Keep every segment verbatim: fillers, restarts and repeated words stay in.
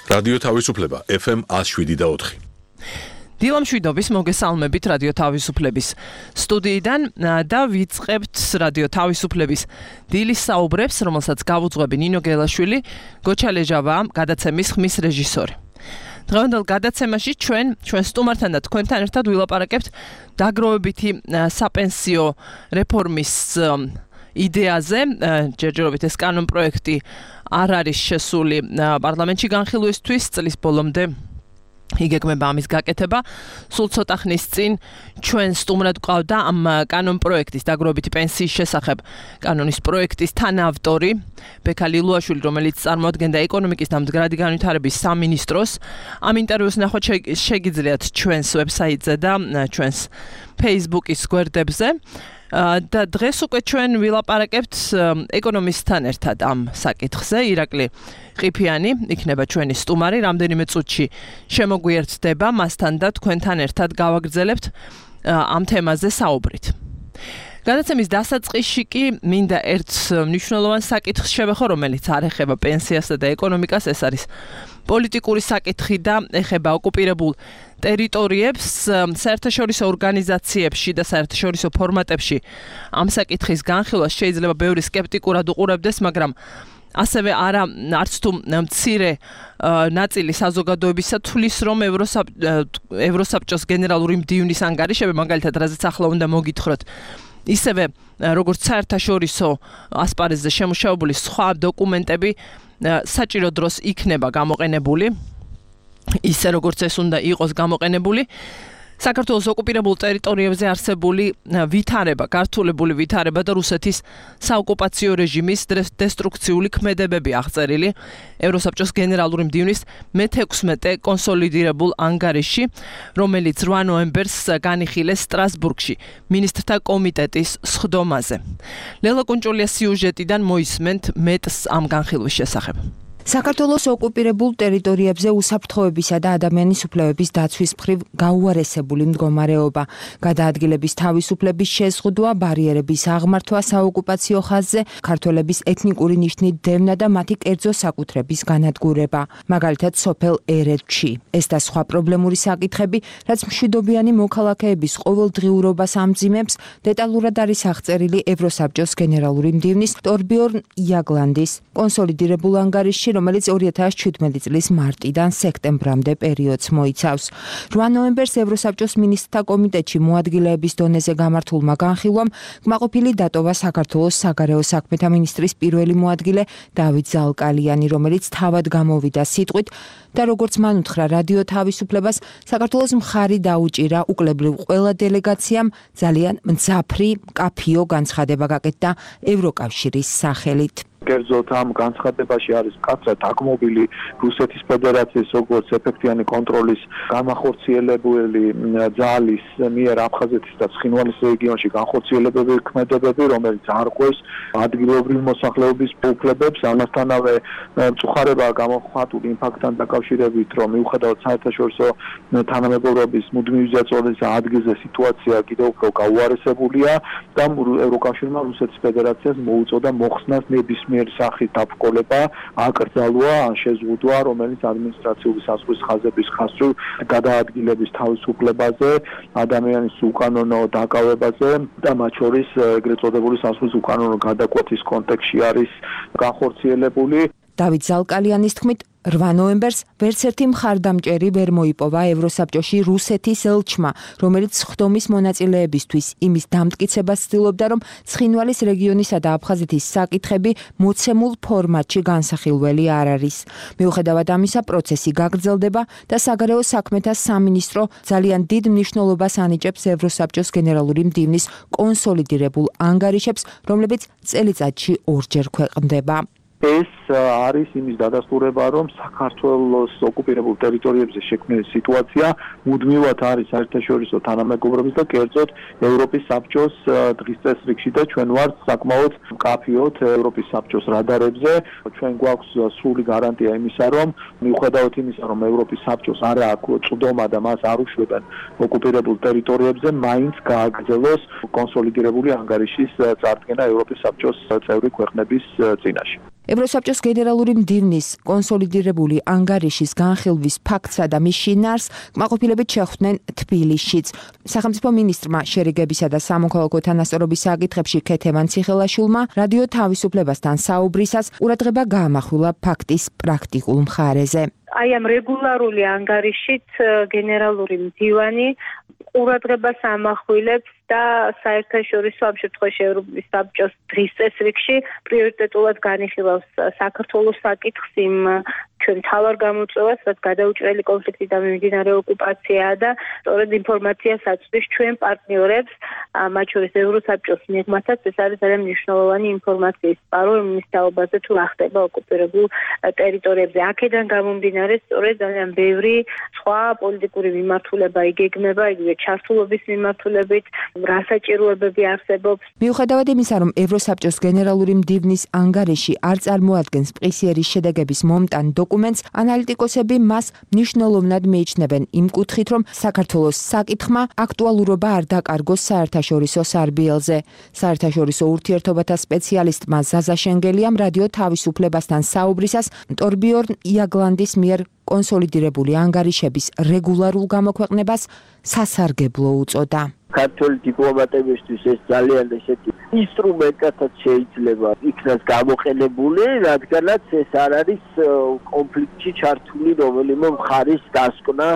რადიო თავისუფლება ეფ ემ ათს შვიდი და ოთხი. დილამ შვიდობის მოგესალმებით რადიო თავისუფლების სტუდიიდან და ვიწყებთ რადიო თავისუფლების დილის საუბრებს, რომელსაც გავუძღვები ნინო გელაშვილი, გოჩა ლეჟავა, გადაცემის ხმის რეჟისორი. დღევანდელ გადაცემაში ჩვენ ჩვენ სტუმართან და თქვენთან ერთად ვილაპარაკებთ დაგროვებითი საპენსიო რეფორმის იდეაზე. ჯერჯერობით ეს კანონ პროექტი არ არის შესული პარლამენტში განხილვისთვის, წლის ბოლომდე იგეგმება ამის გაკეთება. სულ ცოტა ხნის წინ ჩვენ სტუმრად გვყავდა ამ კანონ პროექტის დაგროვებითი პენსიის შესახებ კანონის პროექტის თანაავტორი ბექა ლილუაშვილი, რომელიც წარმოადგენდა ეკონომიკის და მდგრადი განვითარების სამინისტროს. ამ ინტერვიუს ნახვა შეგიძლიათ ჩვენს ვებსაიტზე და ჩვენს Facebook-ის გვერდებზე. და დღეს უკვე ჩვენ ვილაპარაკებთ ეკონომისტთან ერთად ამ საკითხზე. ირაკლი ყიფიანი იქნება ჩვენი სტუმარი, რამდენიმე წუთში შემოგვიერთდება მასთან და თქვენთან ერთად გავაგრძელებთ ამ თემაზე საუბრით. გადაცემის დასაწყისში კი მინდა ერთ მნიშვნელოვან საკითხს შევეხო, რომელიც არ ეხება პენსიასა და ეკონომიკას. ეს არის პოლიტიკური საკითხი და ეხება ოკუპირებულ ტერიტორიებს. საერთაშორისო ორგანიზაციებში და საერთაშორისო ფორმატებში ამ საკითხის განხილვას შეიძლება ბევრი სკეპტიკურად უყურებდეს, მაგრამ ასევე არა არც თუ მცირე ნაწილი საზოგადოებისა თulis რომ ევროსაბჭოს გენერალური მდივნის ანგარიშები, მაგალითად, რაზეც ახლა უნდა მოგითხროთ, ისევე როგორც საერთაშორისო ასპარეზზე შემუშავებული სხვა დოკუმენტები საჭირო დროს იქნება გამოყენებული, ისე როგორც ეს უნდა იყოს გამოყენებული. საქართველოს ოკუპირებულ ტერიტორიებზე არსებული ვითარება, გართულებული ვითარება და რუსეთის საოკუპაციო რეჟიმის დესტრუქციული ქმედებები აღწერილი ევროსაბჭოს გენერალური მდივნის მეთექვსმეტე კონსოლიდირებულ ანგარიში, რომელიც რვა ნოემბერს განიხილეს სტრასბურგში მინისტრთა კომიტეტის სხდომაზე. ლელა კუნჭულია სიუჟეტიდან მოისმენთ მეტს ამ განხილვის შესახებ. საქართველოს ოკუპირებულ ტერიტორიებზე უსაფრთხოებისა და ადამიანის უფლებების დაცვის მხრივ გაუარესებული მდგომარეობა, გადაადგილების თავისუფლების შეზღუდვა, ბარიერების აღმართვა საოკუპაციო ხაზზე, ქართველების ეთნიკური ნიშნით დევნა და მათი კერძო საკუთრების განადგურება, მაგალითად სოფელ ერედში. ეს და სხვა პრობლემური საკითხები, რაც მშვიდობიანი მოქალაქეების ყოველდღიურობას ამძიმებს, დეტალურად არის აღწერილი ევროსაბჭოს გენერალური მდივნის ტორბიორნ იაგლანდის კონსოლიდირებულ ანგარიშში, რომელიც ორი ათას შვიდმეტი წლის მარტიდან სექტემბრამდე პერიოდს მოიცავს. რვა ნოემბერს ევროსაბჭოს მინისტრთა კომიტეტში მოადგილეების დონეზე გამართულმა განხილვამ კმაყოფილი დატოვა საქართველოს საგარეო საქმეთა მინისტრის პირველი მოადგილე დავით ზალკალიანი, რომელიც თავად გამოვიდა სიტყვით და როგორც მან უთხრა რადიო თავისუფლებას, საქართველოს მხარი დაუჭირა უკლებრივ ყველა დელეგაციამ ძალიან მძაფრი, მკაფიო განცხადება გაკეთდა ევროკავშირის სახელით. კერძოდ ამ განცხადებაში არის მკაცრად დაგმობილი რუსეთის ფედერაციის როგორც ეფექტიანი კონტროლის განახორციელებელი ძალის მიერ აფხაზეთის და ცხინვალის რეგიონში განხორციელებები ქმედებები, რომელიც არღვევს ადგილობრივ მოსახლეობის უფლებებს. ამასთანავე მწუხარება გამოხატული იმ ფაქტთან დაკავშირებით, რომ მიუხედავად საერთაშორისო თანამეგობრობის მუდმივი ზეწოლის ადგილზე სიტუაცია კიდევ უფრო გაუარესებულია და ევროკავშირმა რუსეთის ფედერაციას მოუწოდა მოხსნას ნებისმიერ სახით დაბრკოლება, აკრძალვა ან შეზღუდვა, რომელიც ადმინისტრაციული საზღვრის ხაზების ხასრულ გადაადგილების თავისუფლებაზე, ადამიანის უკანონო დაკავებაზე და მათ შორის ეგრეთ წოდებული საზღვრის უკანონო გადაკვეთის კონტექსტში არის განხორციელებული. დავით ზალკალიანის თქმით, რვა ნოემბერს ვერც ერთი მხარდამჭერი ვერ მოიპოვა ევროსაბჭოში რუსეთის ელჩმა, რომელიც სხდომის მონაწილეებისთვის იმის დამტკიცებას ცდილობდა, რომ ცხინვალის რეგიონისა და აფხაზეთის საკითხები მოცემულ ფორმატში განსახილველი არ არის. მიუხედავად ამისა, პროცესი გაგრძელდება და საგარეო საქმეთა სამინისტრო ძალიან დიდ მნიშვნელობას ანიჭებს ევროსაბჭოს გენერალური მდივნის კონსოლიდირებულ ანგარიშებს, რომლებიც წელიწადში ორჯერ ქვეყნდება. ეს არის იმის დადასტურება, რომ საქართველოს ოკუპირებულ ტერიტორიებზე შექმნილი სიტუაცია მუდმივად არის საერთაშორისო თანამეგობრობის და კერძოდ ევროპის საბჭოს დღის წესრიგში და ჩვენ ვართ საკმაოდ მკაფიოდ ევროპის საბჭოს რადარებზე. ჩვენ გვაქვს სრული გარანტია იმისა, რომ მიუხედავად იმისა, რომ ევროპის საბჭოს არ აქვს წვდომა და მას არ უშვებენ ოკუპირებულ ტერიტორიებზე, მაინც გააგრძელოს კონსოლიდირებული ანგარიშის წარდგენა ევროპის საბჭოს წევრი ქვეყნების წინაშე. ევროსაბჭოს გენერალური მდივნის კონსოლიდირებული ანგარიშის განხილვის ფაქტსა და მის შინაარს კმაყოფილებით შეხვდნენ თბილისშიც. სახელმწიფო მინისტრმა შერიგებისა და სამოქალაქო თანასწორობის საკითხებში ქეთევან ციხელაშვილმა რადიო თავისუფლებასთან საუბრისას ყურადღება გაამახვილა ფაქტის პრაქტიკულ მხარეზე. აი ამ რეგულარული ანგარიშით გენერალური მდივანი ყურადღებას ამახვილებს და საერთაშორისო ამ შემთხვევაში ევროპის საბჭოს დღის წესრიგში პრიორიტეტულად განიხილავს საქართველოს საკითხს იმ ჩვენ მთავარ გამოწვევას, რაც გადაუჭრელი კონფლიქტი და მიმდინარე ოკუპაციაა და სწორედ ინფორმაციას აწვდის ჩვენ პარტნიორებს, მათ შორის ევროსაბჭოს მიღმათაც ეს არის ძალიან მნიშვნელოვანი ინფორმაციის წყარო იმის თაობაზე თუ რა ხდება ოკუპირებულ ტერიტორიებზე. აქედან გამომდინარე სწორედ ძალიან ბევრი სხვა პოლიტიკური მიმართულება იგეგმება, იგივე ჩართულობის მიმართულებით, რა საჭიროებები არსებობს. მიუხედავად იმისა, რომ ევროსაბჭოს გენერალური მდივნის ანგარიში არ წარმოადგენს მყისიერი შედეგების მომტან დოკუმენტს, ანალიტიკოსები მას მნიშვნელოვნად მიიჩნევენ იმ კუთხით, რომ საქართველოს საკითხმა აქტუალურობა არ დაკარგოს საერთაშორისო სარბიელზე. საერთაშორისო ურთიერთობათა სპეციალისტმა ზაზა შენგელიამ რადიო თავისუფლებასთან საუბრისას ტორბიორნ იაგლანდის მიერ კონსოლიდირებული ანგარიშების რეგულარულ გამოქვეყნებას სასარგებლო უწოდა. ქართული დიპლომატებისთვის ეს ძალიან ესეთი ინსტრუმენტად შეიძლება იქნას გამოყენებული, რადგანაც ეს არ არის კონფლიქტში ჩართული რომელიმე მხარის დასკვნა,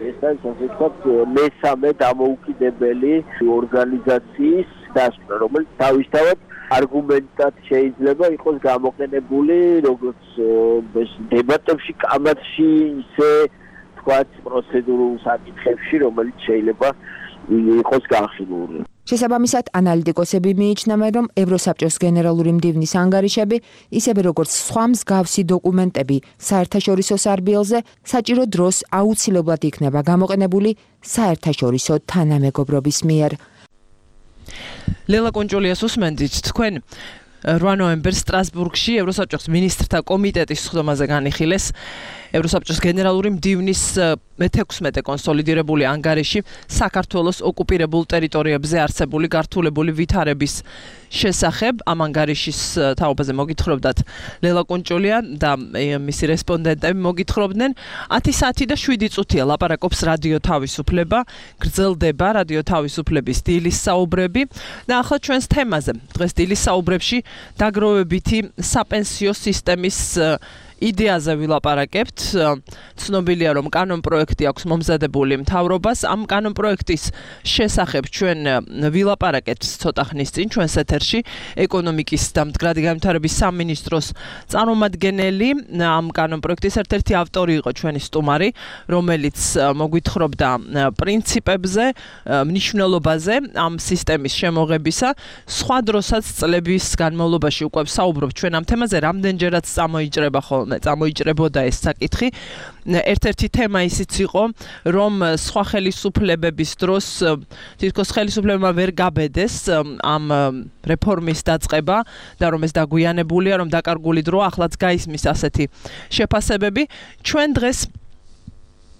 ეს არის ასე ვთქვათ მესამე დამოუკიდებელი ორგანიზაციის დასკვნა, რომელიც თავისთავად არგუმენტად შეიძლება იყოს გამოყენებული როგორც დებატებში, კამათში, ისე ვთქვათ პროცედურულ საკითხებში, რომელიც შეიძლება იყოს განხილული. შესაბამისად, ანალიტიკოსები მიიჩნევენ, რომ ევროსაბჭოს გენერალური მდივნის ანგარიშები, ისევე როგორც სხვა მსგავსი დოკუმენტები საერთაშორისო სარბიელზე, საჭირო დროს აუცილებლად იქნება გამოყენებული საერთაშორისო თანამეგობრობის მიერ. ლელა კონჭოლიას უსმენთ, თქვენ რვა ნოემბერს სტრასბურგში ევროსაბჭოს მინისტრთა კომიტეტის სხდომაზე განიხილეს ევროსაბჭოს გენერალური მდივნის მეთექვსმეტე კონსოლიდირებული ანგარიში საქართველოს ოკუპირებულ ტერიტორიებზე არსებული გართულებული ვითარების შესახებ. ამ ანგარიშის თაობაზე მოგითხრობდათ ლელა კონჭოლია და მისი რესპონდენტები მოგითხრობდნენ. ათი საათი და შვიდი წუთია ლაპარაკობს რადიო თავისუფლება, გრძელდება რადიო თავისუფლების დილის საუბრები და ახლა ჩვენს თემაზე. დღეს დილის საუბრებში დაგროვებითი საპენსიო სისტემის იდეაზე ვილაპარაკებთ. ცნობილია, რომ კანონპროექტი აქვს მომზადებული მთავრობას. ამ კანონპროექტის შესახებ ჩვენ ვილაპარაკეთ ცოტა ხნის წინ ჩვენს ეთერში ეკონომიკის და მდგრადი განვითარების სამინისტროს წარმომადგენელი. ამ კანონპროექტის ერთ-ერთი ავტორი იყო ჩვენი სტუმარი, რომელიც მოგვითხრობდა პრინციპებზე, მნიშვნელობაზე ამ სისტემის შემოღებისა. სხვა დროსაც წლების განმავლობაში უკვე საუბრობთ ჩვენ ამ თემაზე, რამდენჯერაც წამოიჭრება ხოლმე წამოიჭრებოდა ეს საკითხი. ერთ-ერთი თემა ისიც იყო, რომ სხვა ხელისუფლებების დროს თითქოს ხელისუფლებმა ვერ გაბედეს ამ რეფორმის დაწყება და რომ ეს დაგვიანებულია, რომ დაკარგული დრო ახლაც გაისმის ასეთი შეფასებები. ჩვენ დღეს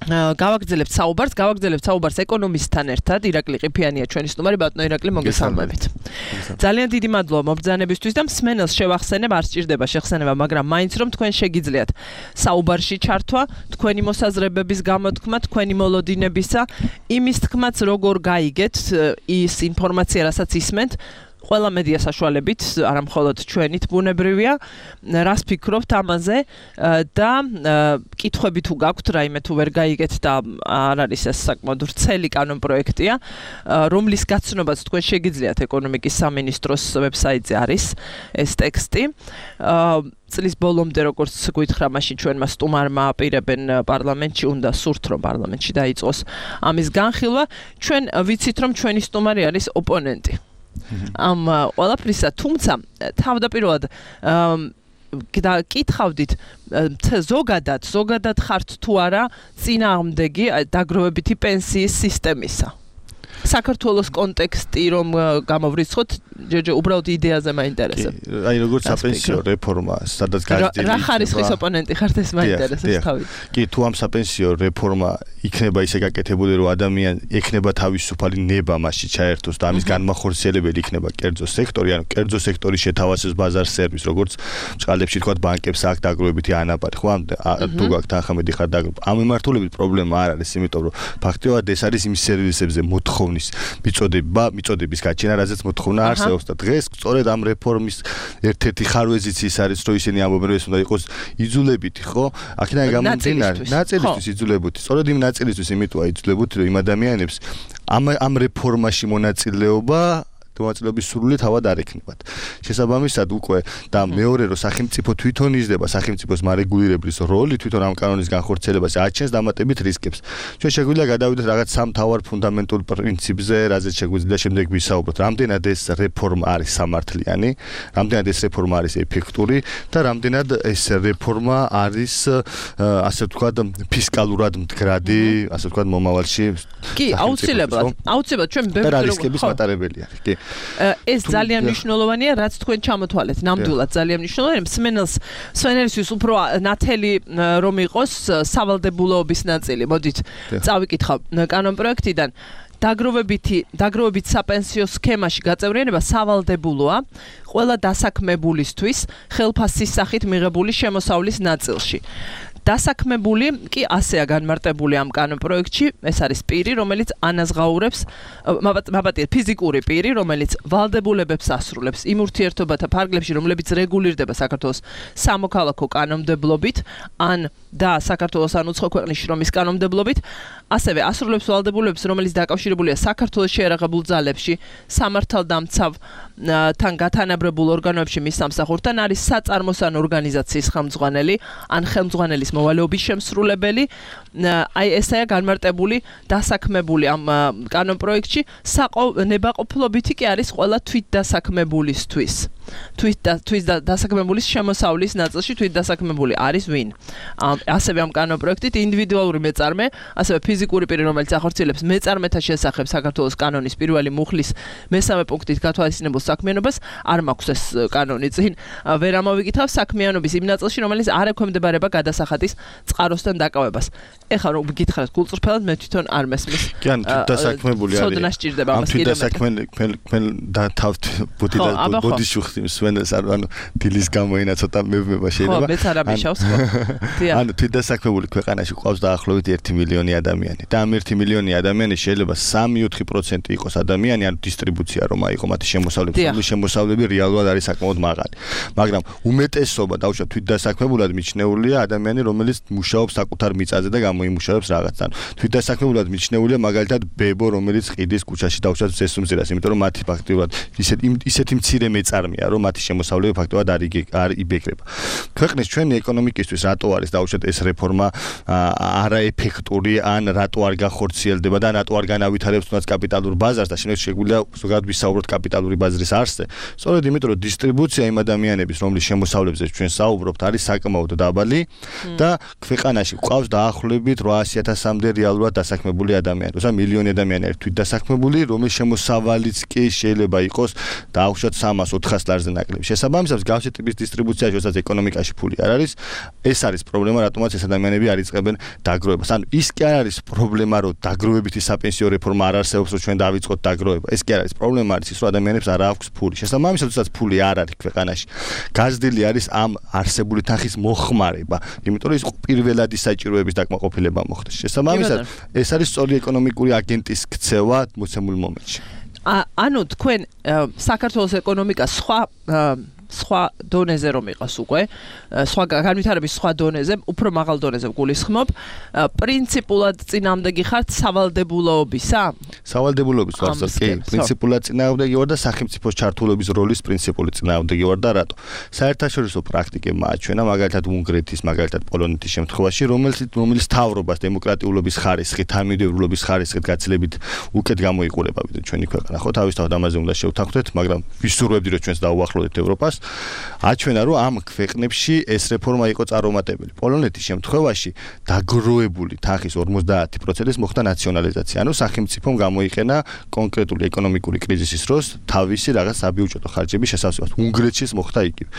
გავაგრძელებთ საუბარს, გავაგრძელებთ საუბარს ეკონომისტთან ერთად. ირაკლი ყიფიანია ჩვენი სტუმარი, ბატონო ირაკლი, მოგესალმებით. ძალიან დიდი მადლობა მობრძანებისთვის და მსმენელს შევახსენებ, არ სჭირდება შეხსენება, მაგრამ მაინც რომ თქვენ შეგიძლიათ საუბარში ჩართვა, თქვენი მოსაზრებების გამოთქმა, თქვენი მოლოდინებისა, იმის თქმაც როგორ გაიგეთ ის ინფორმაცია, რასაც ისმენთ, ყველა მედია საშუალებით, არა მხოლოდ ჩვენით ბუნებრივია, რას ფიქრობთ ამაზე და კითხვები თუ გაქვთ, რაიმე თუ ვერ გაიგეთ და არ არის ეს საკმაოდ ვრცელი კანონპროექტია, რომლის გაცნობაც თქვენ შეგიძლიათ ეკონომიკის სამინისტროს ვებსაიტზე არის ეს ტექსტი. წლის ბოლომდე როგორც გითხრა, მაშინ ჩვენმა სტუმარმა აპირებენ პარლამენტში, უნდა სურთ რომ პარლამენტში დაიწყოს ამის განხილვა. ჩვენ ვიცით რომ ჩვენი სტუმარი არის ოპონენტი. ამ ყველაფრისა, თუმცა თავდაპირველად და კითხავდით ზოგადად, ზოგადად ხართ თუ არა წინააღმდეგი დაგროვებითი პენსიის სისტემისა? საქართველოს კონტექსტი რომ გამოვრიცხოთ, ჯერჯერ უბრალოდ იდეაზე მაინტერესებს. აი როგორც საპენსიო რეფორმა, სადაც გაძლიერდა. რა ხარისხის ოპონენტი ხართ ეს მაინტერესებს თავით. კი, თუ ამ საპენსიო რეფორმა იქნება ისე გაკეთებული, რომ ადამიანი ექნება თავისუფალი ნება მასში ჩაერთოს და ამის განმახორციელებელი იქნება კერძო სექტორი, ანუ კერძო სექტორი შეთავაზებს ბაზარ სერვისს, როგორც წყალებში თქვა ბანკებს აქ დაგროვებითი ანაბარი, ხო? თუ გაქვთ ახამედი ხარ დაგროვ. ამ მიმართულებით პრობლემა არ არის, იმიტომ რომ ფაქტობრივად ეს არის იმ სერვისებზე მოთხოვნის მიწოდება, მიწოდების გაჩენა, რაზეც მოთხოვნა არსებობს და დღეს სწორედ ამ რეფორმის ერთ-ერთი ხარვეზიც ის არის, რომ ისინი ამბობენ, რომ ეს უნდა იყოს იძულებითი, ხო? აქედან გამომდინარე, ნაწილისთვის იძულებითი. სწორედ იმ ნაწილისთვის იმიტოა იძულებითი, რომ იმ ადამიანებს ამ ამ რეფორმაში მონაწილეობა მონაწილეობის სურვილი თავად არ ექნებათ. შესაბამისად უკვე და მეორე რომ სახელმწიფო თვითონ იზრდება სახელმწიფოს მარეგულირებლის როლი თვითონ ამ კანონის განხორციელებაზე აჩენს დამატებით რისკებს. ჩვენ შეგვიძლია გადავიდეთ რაღაც სამ თავარ ფუნდამენტურ პრინციპზე, რაზეც შეგვიძლია შემდეგ ვისაუბროთ. რამდენად ეს რეფორმა არის სამართლიანი, რამდენად ეს რეფორმა არის ეფექტური და რამდენად ეს რეფორმა არის ასე ვთქვათ ფისკალურად მდგრადი, ასე ვთქვათ მომავალში. კი, აუცილებლად. აუცილებლად ჩვენ ბევრი რისკების მატარებელი არის. კი. ეს ძალიან მნიშვნელოვანია, რაც თქვენ ჩამოთვალეთ. ნამდვილად ძალიან მნიშვნელოვანია. მსმენელს, მსმენელისთვის უფრო ნათელი რომ იყოს სავალდებულოების ნაწილი. მოდით, წავიკითხავ კანონპროექტიდან. დაგროვებითი, დაგროვებით საპენსიო სქემაში გაწევრიანება სავალდებულოა ყველა დასაქმებულისთვის ხელფასის სახით მიღებული შემოსავლის ნაწილში. დასაქმებული კი ასეა განმარტებული ამ კანონპროექტში, ეს არის პირი, რომელიც ანაზღაურებს, მაბატია ფიზიკური პირი, რომელიც ვალდებულებებს ასრულებს იმ ურთიერთობათა ფარგლებში, რომლებიც რეგულირდება საქართველოს სამოქალაქო კანონმდებლობით, ან და საქართველოს ან უცხო ქვეყნის შრომის კანონმდებლობით, ასევე ასრულებს ვალდებულებებს, რომელიც დაკავშირებულია საქართველოს შეერაღებულ ძალებში, სამართალდამცავ თან გათანაბრებულ ორგანოებში მის სამსახურთან, არის საწარმოს ან ორგანიზაციის ხელმძღვანელი, ან ხელმძღვანელის მოვალეობის შემსრულებელი. აი ესაა განმარტებული დასაქმებული ამ კანონპროექტში. ნებაყოფლობითი კი არის ყველა თვითდასაქმებულისთვის. თვით დასაქმებულის შემოსავლის ნაწილში თვითდასაქმებული არის ვინ. ასევე ამ კანონპროექტით ინდივიდუალური მეწარმე, ასევე ფიზიკური პირი, რომელიც ახორციელებს მეწარმეთა შესახებ საქართველოს კანონის პირველი მუხლის მესამე პუნქტით გათვალისწინებულ საქმიანობას, არ მაქვს ეს კანონი წინ, ვერ ამოვიკითხავ საქმიანობის იმ ნაწილში, რომელიც არ ექვემდებარება გადასახადის წყაროსთან დაკავებას. ეხლა რომ გითხრათ გულწრფელად, მე თვითონ არ მესმის. კი, ანუ თვითდასაქმებული არის. ცოდნა სჭირდება ამას კიდევ. თვითდასაქმებელი და თავთ ბუდი და ბოდიშუხტი მსვენელს არ ანუ დილის გამოინა ცოტა მევმება შეიძლება. ხო, მეც არ ამიშავს ხო. ანუ თვითდასაქმებული ქვეყანაში ყავს დაახლოებით ერთი მილიონი ადამიანი და ამ ერთი მილიონი ადამიანის შეიძლება სამი ოთხი პროცენტი იყოს ადამიანი, ანუ დისტრიბუცია რომ აიღო მათი შემოსავლების, რომლის შემოსავლები რეალურად არის საკმაოდ მაღალი. მაგრამ უმეტესობა დაუშვათ თვითდასაქმებულად მიჩნეულია ადამიანი, რომელიც მუშაობს საკუთარ მიწაზე და გამოიმუშავებს რაღაცთან. თვითდასაქმებულად მიჩნეულია მაგალითად ბებო, რომელიც ყიდის ქუჩაში დაუშვათ ზესუმზირას, იმიტომ რომ მათი ფაქტიურად ისეთი ისეთი მცირე მეწარმეა, რომ მათი შემოსავლები ფაქტობრივად არ იბეკრება. ქვეყნის ჩვენი ეკონომიკისთვის რატო არის დაუშვათ ეს რეფორმა არაეფექტური, ან რატო არ განხორციელდება და რატო არ განავითარებს თუნდაც კაპიტალურ ბაზარს და შემდეგ შეგვიძლია ზოგადად ვისაუბროთ კაპიტალური ბაზრის არსზე. სწორედ იმიტომ რომ დისტრიბუცია იმ ადამიანების, რომლის შემოსავლებზე ჩვენ საუბრობთ, არის საკმაოდ დაბალი და ქვეყანაში ყავს დაახლოებით რვაასი ათასამდე რეალურად დასაქმებული ადამიანი. თუმცა მილიონი ადამიანი არის თვითდასაქმებული, რომლის შემოსავალიც კი შეიძლება იყოს დაუშვათ სამას ოთხას ლარზე ნაკლები. შესაბამისად, გავსი ტიპის დისტრიბუციაში, როდესაც ეკონომიკაში ფული არ არის, ეს არის პრობლემა, რატომაც ეს ადამიანები არ იწყებენ დაგროვებას. ანუ ის კი არ არის პრობლემა, რომ დაგროვებითი საპენსიო რეფორმა არ არსებობს, რომ ჩვენ დავიწყოთ დაგროვება. ეს კი არ არის პრობლემა, არის ის, რომ ადამიანებს არ აქვს ფული. შესაბამისად, როდესაც ფული არ არის ქვეყანაში, გაზრდილი არის ამ არსებული თანხის მოხმარება, იმიტომ რომ ის პირველადი საჭიროების დაკმაყოფილება მოხდეს. შესაბამისად, ეს არის სწორი ეკონომიკური აგენტის ქცევა მოცემულ მომენტში. ანუ თქვენ საქართველოს ეკონომიკა სხვა სხვა დონეზე რომ იყოს უკვე, სხვა განვითარების სხვა დონეზე, უფრო მაღალ დონეზე გულისხმობ, პრინციპულად წინააღმდეგი ხართ სავალდებულოობისა? სავალდებულოების ვარსა, კი, პრინციპულად წინააღმდეგი ვარ და სახელმწიფოს ჩართულობის როლის პრინციპული წინააღმდეგი ვარ და რატო? საერთაშორისო პრაქტიკებმა აჩვენა, მაგალითად უნგრეთის, მაგალითად პოლონეთის შემთხვევაში, რომელიც რომელიც თავრობას დემოკრატიულობის ხარისხით, თანმიმდევრულობის ხარისხით გაცილებით უკეთ გამოიყურება, ვიდრე ჩვენი ქვეყანა, ხო, თავისთავად ამაზე უნდა შევთანხმდეთ, მაგრამ ვისურვებდი, რომ ჩვენს დაუახლოვდეთ ევროპას. აჩვენა, რომ ამ ქვეყნებში ეს რეფორმა იყო წარუმატებელი. პოლონეთის შემთხვევაში დაგროვებული თანხის ორმოცდაათი პროცენტის მოხდა ნაციონალიზაცია. ანუ სახელმწიფომ გამოიყენა კონკრეტული ეკონომიკური კრიზისის დროს თავისი რაღაც საბიუჯეტო ხარჯების შესავსებად. უნგრეთშიც მოხდა იგივე.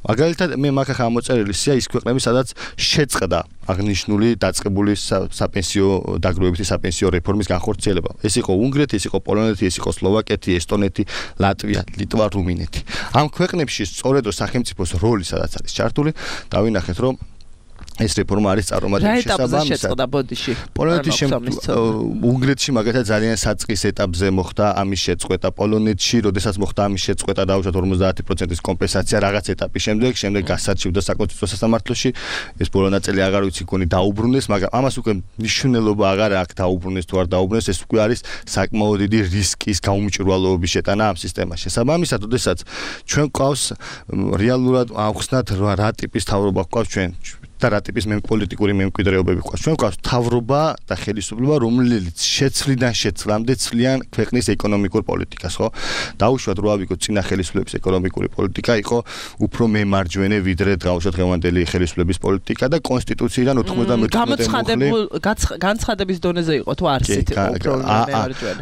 მაგალითად, მე მაგ ახლა ამოწერილი სია ის ქვეყნები, სადაც შეწყდა აღნიშნული დაწყებული საპენსიო დაგროვებითი საპენსიო რეფორმის განხორციელება. ეს იყო უნგრეთი, ეს იყო პოლონეთი, ეს იყო სლოვაკეთი, ესტონეთი, ლატვია, ლიტვა, რუმინეთი. ამ ქვეყნებში სწორედ სახელმწიფოს როლი სადაც არის ჩართული, დავინახეთ, რომ ეს რეფორმა არის წარუმატებელი შესაბამისად. რა ეტაპზე შეწყდა ბოდიში? პოლონეთის უნგრეთში მაგალითად ძალიან საწყის ეტაპზე მოხდა ამის შეწყვეტა, პოლონეთში, როდესაც მოხდა ამის შეწყვეტა, დაუშვათ ორმოცდაათი პროცენტის კომპენსაცია რაღაც ეტაპის შემდეგ, შემდეგ გასარჩევდა საკონსტიტუციო სასამართლოში. ეს ბოლო ნაწილი აღარ ვიცი გონი დაუბრუნდეს, მაგრამ ამას უკვე მნიშვნელობა აღარ აქვს დაუბრუნდეს თუ არ დაუბრუნდეს, ეს უკვე არის საკმაოდ დიდი რისკის გაუმჭირვალეობის შეტანა ამ სისტემაში. შესაბამისად, როდესაც ჩვენ გვყავს რეალურად ავხსნათ რა ტიპის თავრობა გვყავს ჩვენ და რა ტიპის პოლიტიკური მემკვიდრეობები გვყავს. ჩვენ გვყავს თავრობა და ხელისუფლება, რომელიც შეცვლიდან შეცვლამდე ცვლიან ქვეყნის ეკონომიკურ პოლიტიკას, ხო? დაუშვათ რა ვიგოთ, წინა ხელისუფლების ეკონომიკური პოლიტიკა იყო უფრო მემარჯვენე, ვიდრე დაუშვათ დღევანდელი ხელისუფლების პოლიტიკა და კონსტიტუციიდან ოთხმოცდამეთოთხმეტე მუხლი განცხადების დონეზე იყო თუ არსით უფრო მემარჯვენე.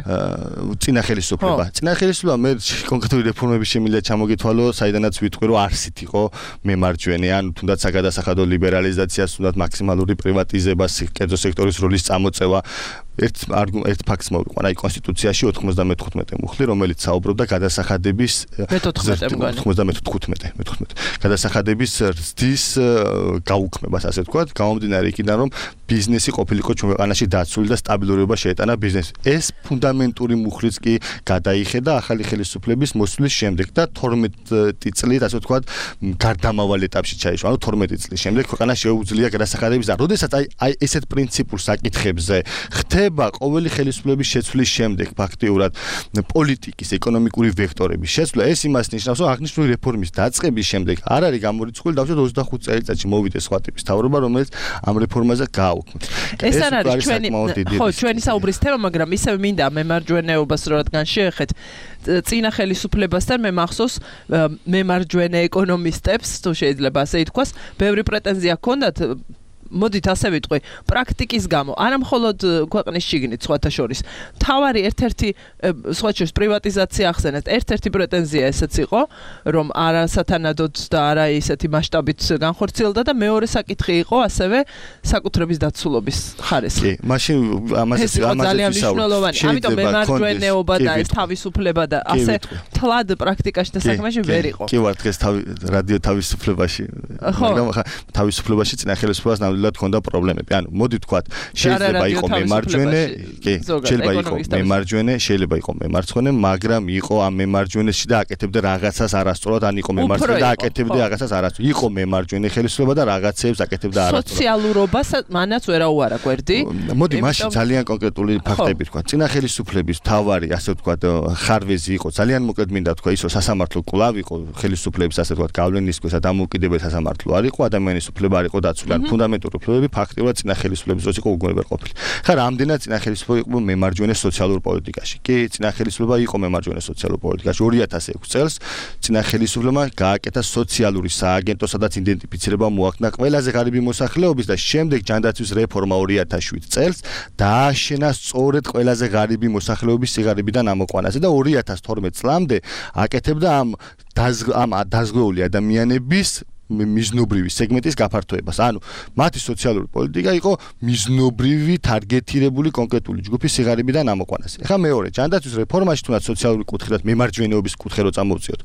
წინა ხელისუფლება. წინა ხელისუფლება მე კონკრეტული რეფორმების შემიძლია ჩამოგითვალო, საიდანაც ვიტყვი, რომ არსით იყო მემარჯვენე, ან თუნდაც საგადასახადო ლიბერალიზაცია სულად მაქსიმალური პრივატიზება, კერძო სექტორის როლის წამოწევა. ერთ ერთ ფაქტს მოვიყვან, აი კონსტიტუციაში ოთხმოცდამეთოთხმეტე მუხლი, რომელიც საუბრობდა გადასახადების ოცდამეთოთხმეტე გადასახადების ზრდის გაუქმებას, ასე ვთქვათ, გამომდინარე იქიდან, რომ ბიზნესი ყოფილიყო ჩვენ ქვეყანაში დაცული და სტაბილურობა შეეტანა ბიზნესს. ეს ფუნდამენტური მუხლიც კი გადაიხედა ახალი ხელისუფლების მოსვლის შემდეგ და თორმეტი წლით, ასე ვთქვათ, გარდამავალ ეტაპში ჩაიშვა. ანუ თორმეტი წლის შემდეგ ქვეყანა შეუძლია გადასახადების და როდესაც აი აი ესეთ პრინციპულ საკითხებზე ხდება ყოველი ხელისუფლების შეცვლის შემდეგ ფაქტიურად პოლიტიკის, ეკონომიკური ვექტორების შეცვლა, ეს იმას ნიშნავს, რომ აღნიშნული რეფორმის დაწყების შემდეგ არ არის გამორიცხული დავუშვათ ოცდახუთ წელიწადში მოვიდეს სხვა ტიპის თავრობა, რომელიც ამ რეფორმაზე გააუქმებს. ეს არ არის ჩვენი ხო, ჩვენი საუბრის თემა, მაგრამ ისევ მინდა მემარჯვენეობას რო რადგან შეეხეთ წინა ხელისუფლებასთან მე მახსოვს მემარჯვენე ეკონომისტებს, თუ შეიძლება ასე ითქვას, ბევრი პრეტენზია ჰქონდათ მოდით ასე ვიტყვი, პრაქტიკის გამო, არა მხოლოდ ქვეყნის შიგნით სხვათა შორის. თავარი ერთ-ერთი სხვათა შორის პრივატიზაცია ახსენეთ, ერთ-ერთი პრეტენზია ესეც იყო, რომ არასათანადოდ და არა ისეთი მასშტაბით განხორციელდა და მეორე საკითხი იყო ასევე საკუთრების დაცულობის ხარისხი. კი, მაშინ ამაზე ძალიან მნიშვნელოვანი. ამიტომ მემარჯვენეობა და ეს თავისუფლება და ასე თლად პრაქტიკაში და საქმეში ვერ იყო. კი ვარ დღეს რადიო თავისუფლებაში, მაგრამ ხა თავისუფლებაში წინა ხელისუფლებას ნამდვილად ჰქონდა პრობლემები. ანუ მოდი ვთქვათ, შეიძლება იყო მემარჯვენე, კი, შეიძლება იყო მემარჯვენე, შეიძლება იყო მემარცხენე, მაგრამ იყო ამ მემარჯვენეში და აკეთებდა რაღაცას არასწორად, ან იყო მემარცხენე და აკეთებდა რაღაცას არასწორად. იყო მემარჯვენე ხელისუფლება და რაღაცებს აკეთებდა არასწორად. სოციალურობას მანაც ვერაუარა გვერდი. მოდი მაშინ ძალიან კონკრეტული ფაქტები ვთქვათ. წინა ხელისუფლების თავარი, ასე ვთქვათ, ხარვეზი იყო ძალიან მოკლედ მინდა ვთქვა ის, რომ სასამართლო კვლავ იყო ხელისუფლების, ასე ვთქვათ, გავლენის ქვეშ და დამოუკიდებელ სასამართლო არ იყო, ადამიანის უფლება არ იყო დაცული, ან ფუნდამენტური უფლებები ფაქტიურად წინა ხელისუფლების დროს იყო უგონებარ ყოფილი. ხა რამდენად წინა ხელისუფლება იყო მემარჯვენე სოციალურ პოლიტიკაში? კი, წინა ხელისუფლება იყო მემარჯვენე სოციალურ პოლიტიკაში. ორი ათას ექვსი წელს წინა ხელისუფლებმა გააკეთა სოციალური სააგენტო, სადაც იდენტიფიცირება მოახდინა ყველაზე ღარიბი მოსახლეობის და შემდეგ ჯანდაცვის რეფორმა ორი ათას შვიდ წელს დააშენა სწორედ ყველაზე ღარიბი მოსახლეობის სიღარიბიდან ამოყვანაზე და ორი ათას თორმეტ წლამდე აკეთებდა ამ ამ დაზღვეული ადამიანების მიზნობრივი სეგმენტის გაფართოებას. ანუ მათი სოციალური პოლიტიკა იყო მიზნობრივი თარგეტირებული კონკრეტული ჯგუფის სიღარიბიდან ამოყვანაზე. ეხლა მეორე, ჯანდაცვის რეფორმაში თუნდაც სოციალური კუთხიდან მემარჯვენეობის კუთხე რო წამოვწიოთ.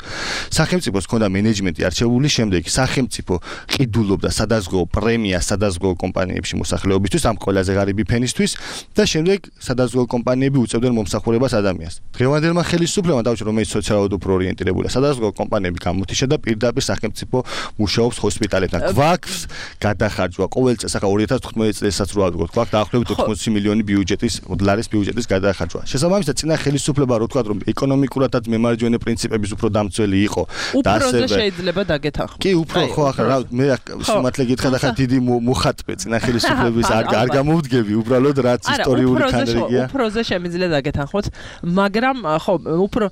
სახელმწიფოს ჰქონდა მენეჯმენტი არჩეული, შემდეგ სახელმწიფო ყიდულობდა სადაზღვეო პრემიას სადაზღვეო კომპანიებში მოსახლეობისთვის, ამ ყველაზე ღარიბი ფენისთვის და შემდეგ სადაზღვეო კომპანიები უწევდნენ მომსახურებას ადამიანს. დღევანდელმა ხელისუფლებამ დავუშვათ, რომელიც სოციალურად უფრო ორიენტირებულია, სადაზღვეო კომპანიები გამოთიშა და პირდაპირ სახელმწიფო მუშაობა მუშაობს ჰოსპიტალებთან. გვაქვს გადახარჯვა ყოველ წელს, ახლა ორი ათას თხუთმეტი წელსაც რო ავიღოთ, გვაქვს დაახლოებით ოთხმოცი მილიონი ბიუჯეტის დოლარის ბიუჯეტის გადახარჯვა. შესაბამისად, წინა ხელისუფლება რო თქვა, რომ ეკონომიკურადაც მემარჯვენე პრინციპების უფრო დამცველი იყო და ასევე შეიძლება დაგეთანხმო. კი, უფრო ხო, ახლა მე სიმართლე გითხრა, ახლა დიდი მოხატვე წინა ხელისუფლების არ არ გამოვდგები, უბრალოდ რაც ისტორიული ქანდრიგია. უფროზე შემიძლია დაგეთანხმოთ, მაგრამ ხო, უფრო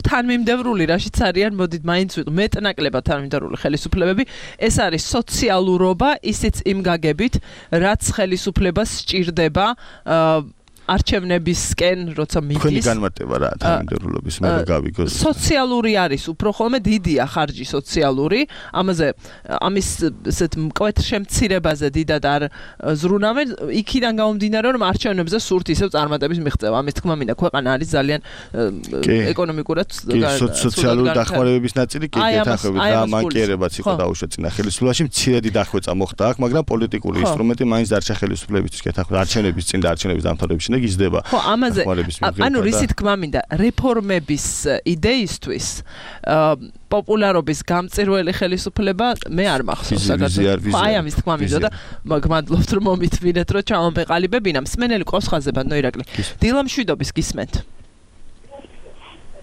თანმიმდევრული რაშიც არიან, მოდით მაინც ვიყო მეტნაკლებად თანმიმდევრული ხელისუფლებები, ეს არის სოციალურობა, ისიც იმ გაგებით, რაც ხელისუფლებას სჭირდება არჩევნებისკენ, როცა მიდის. თქვენი განმარტება რა თანმიმდევრულობის მე რა გავიგოს. სოციალური არის, უფრო ხოლმე დიდია ხარჯი სოციალური, ამაზე ამის ესეთ მკვეთრ შემცირებაზე დიდად არ ზრუნავენ, იქიდან გამომდინარე, რომ არჩევნებზე სურთ ისევ წარმატების მიღწევა. ამის თქმა მინდა, ქვეყანა არის ძალიან ეკონომიკურად სოციალური დახმარებების ნაწილი კი გეთანხმებით რა მანკიერებაც იყო დაუშვათ წინა ხელისუფლებაში, მცირედი დახვეწა მოხდა აქ, მაგრამ პოლიტიკური ინსტრუმენტი მაინც დარჩა ხელისუფლებისთვის გეთანხმებით არჩევნების წინ და არჩევნების დამთავრების გიზდება. ხო, ამაზე ანუ რისით თქმა მინდა, რეფორმების იდეისთვის პოპულარობის გამწირველი ხელისუფლება მე არ მახსოვს საქართველოს. აი ამის თქმა მინდა და გმადლობთ რომ მომითმინეთ რომ ჩამომეყალიბებინა. მსმენელი ყავს ხაზზე ბატონო ირაკლი. დილამშვიდობის გისმენთ.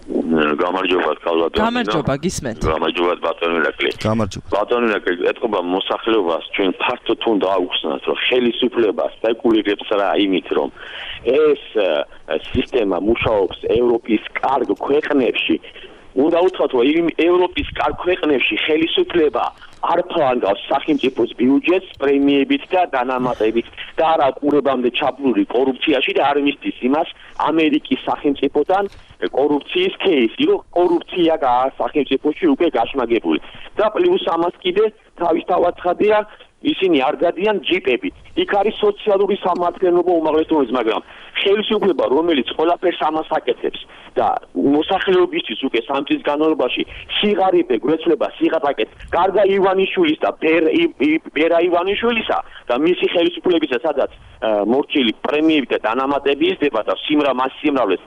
გამარჯობა კალბატონო. გამარჯობა გისმენთ. გამარჯობა ბატონო ირაკლი. გამარჯობა. ბატონო ირაკლი, ეთქობა მოსახლეობას ჩვენ ფართო თუნ დააუხსნათ რომ ხელისუფლება სპეკულირებს რა იმით რომ ეს სისტემა მუშაობს ევროპის კარგ ქვეყნებში. უნდა უთხრათ რომ ევროპის კარგ ქვეყნებში ხელისუფლება არ ფლანგავს სახელმწიფოს ბიუჯეტს პრემიებით და დანამატებით და არა ყურებამდე ჩაბლული კორუფციაში და არ მისდის იმას ამერიკის სახელმწიფოდან კორუფციის кейსი, რომ კორუფცია სახელმწიფოში უკვე გაშმაგებული. და პლუს ამას კიდე თავისთავად ცხადია ისინი არ გადიან ჯიპებით. იქ არის სოციალური სამართლიანობა უმაღლესობის, მაგრამ ხელისუფლება, რომელიც ყველაფერს ამას აკეთებს და მოსახლეობისთვის უკვე სამ წლის განმავლობაში სიღარიბე გვეცვლება სიღატაკეთ გარდა ივანიშვილის და ბერა ივანიშვილისა და მისი ხელისუფლებისა, სადაც მორჩილი პრემიები და დანამატები იზრდება და სიმრა მას სიმრავლეს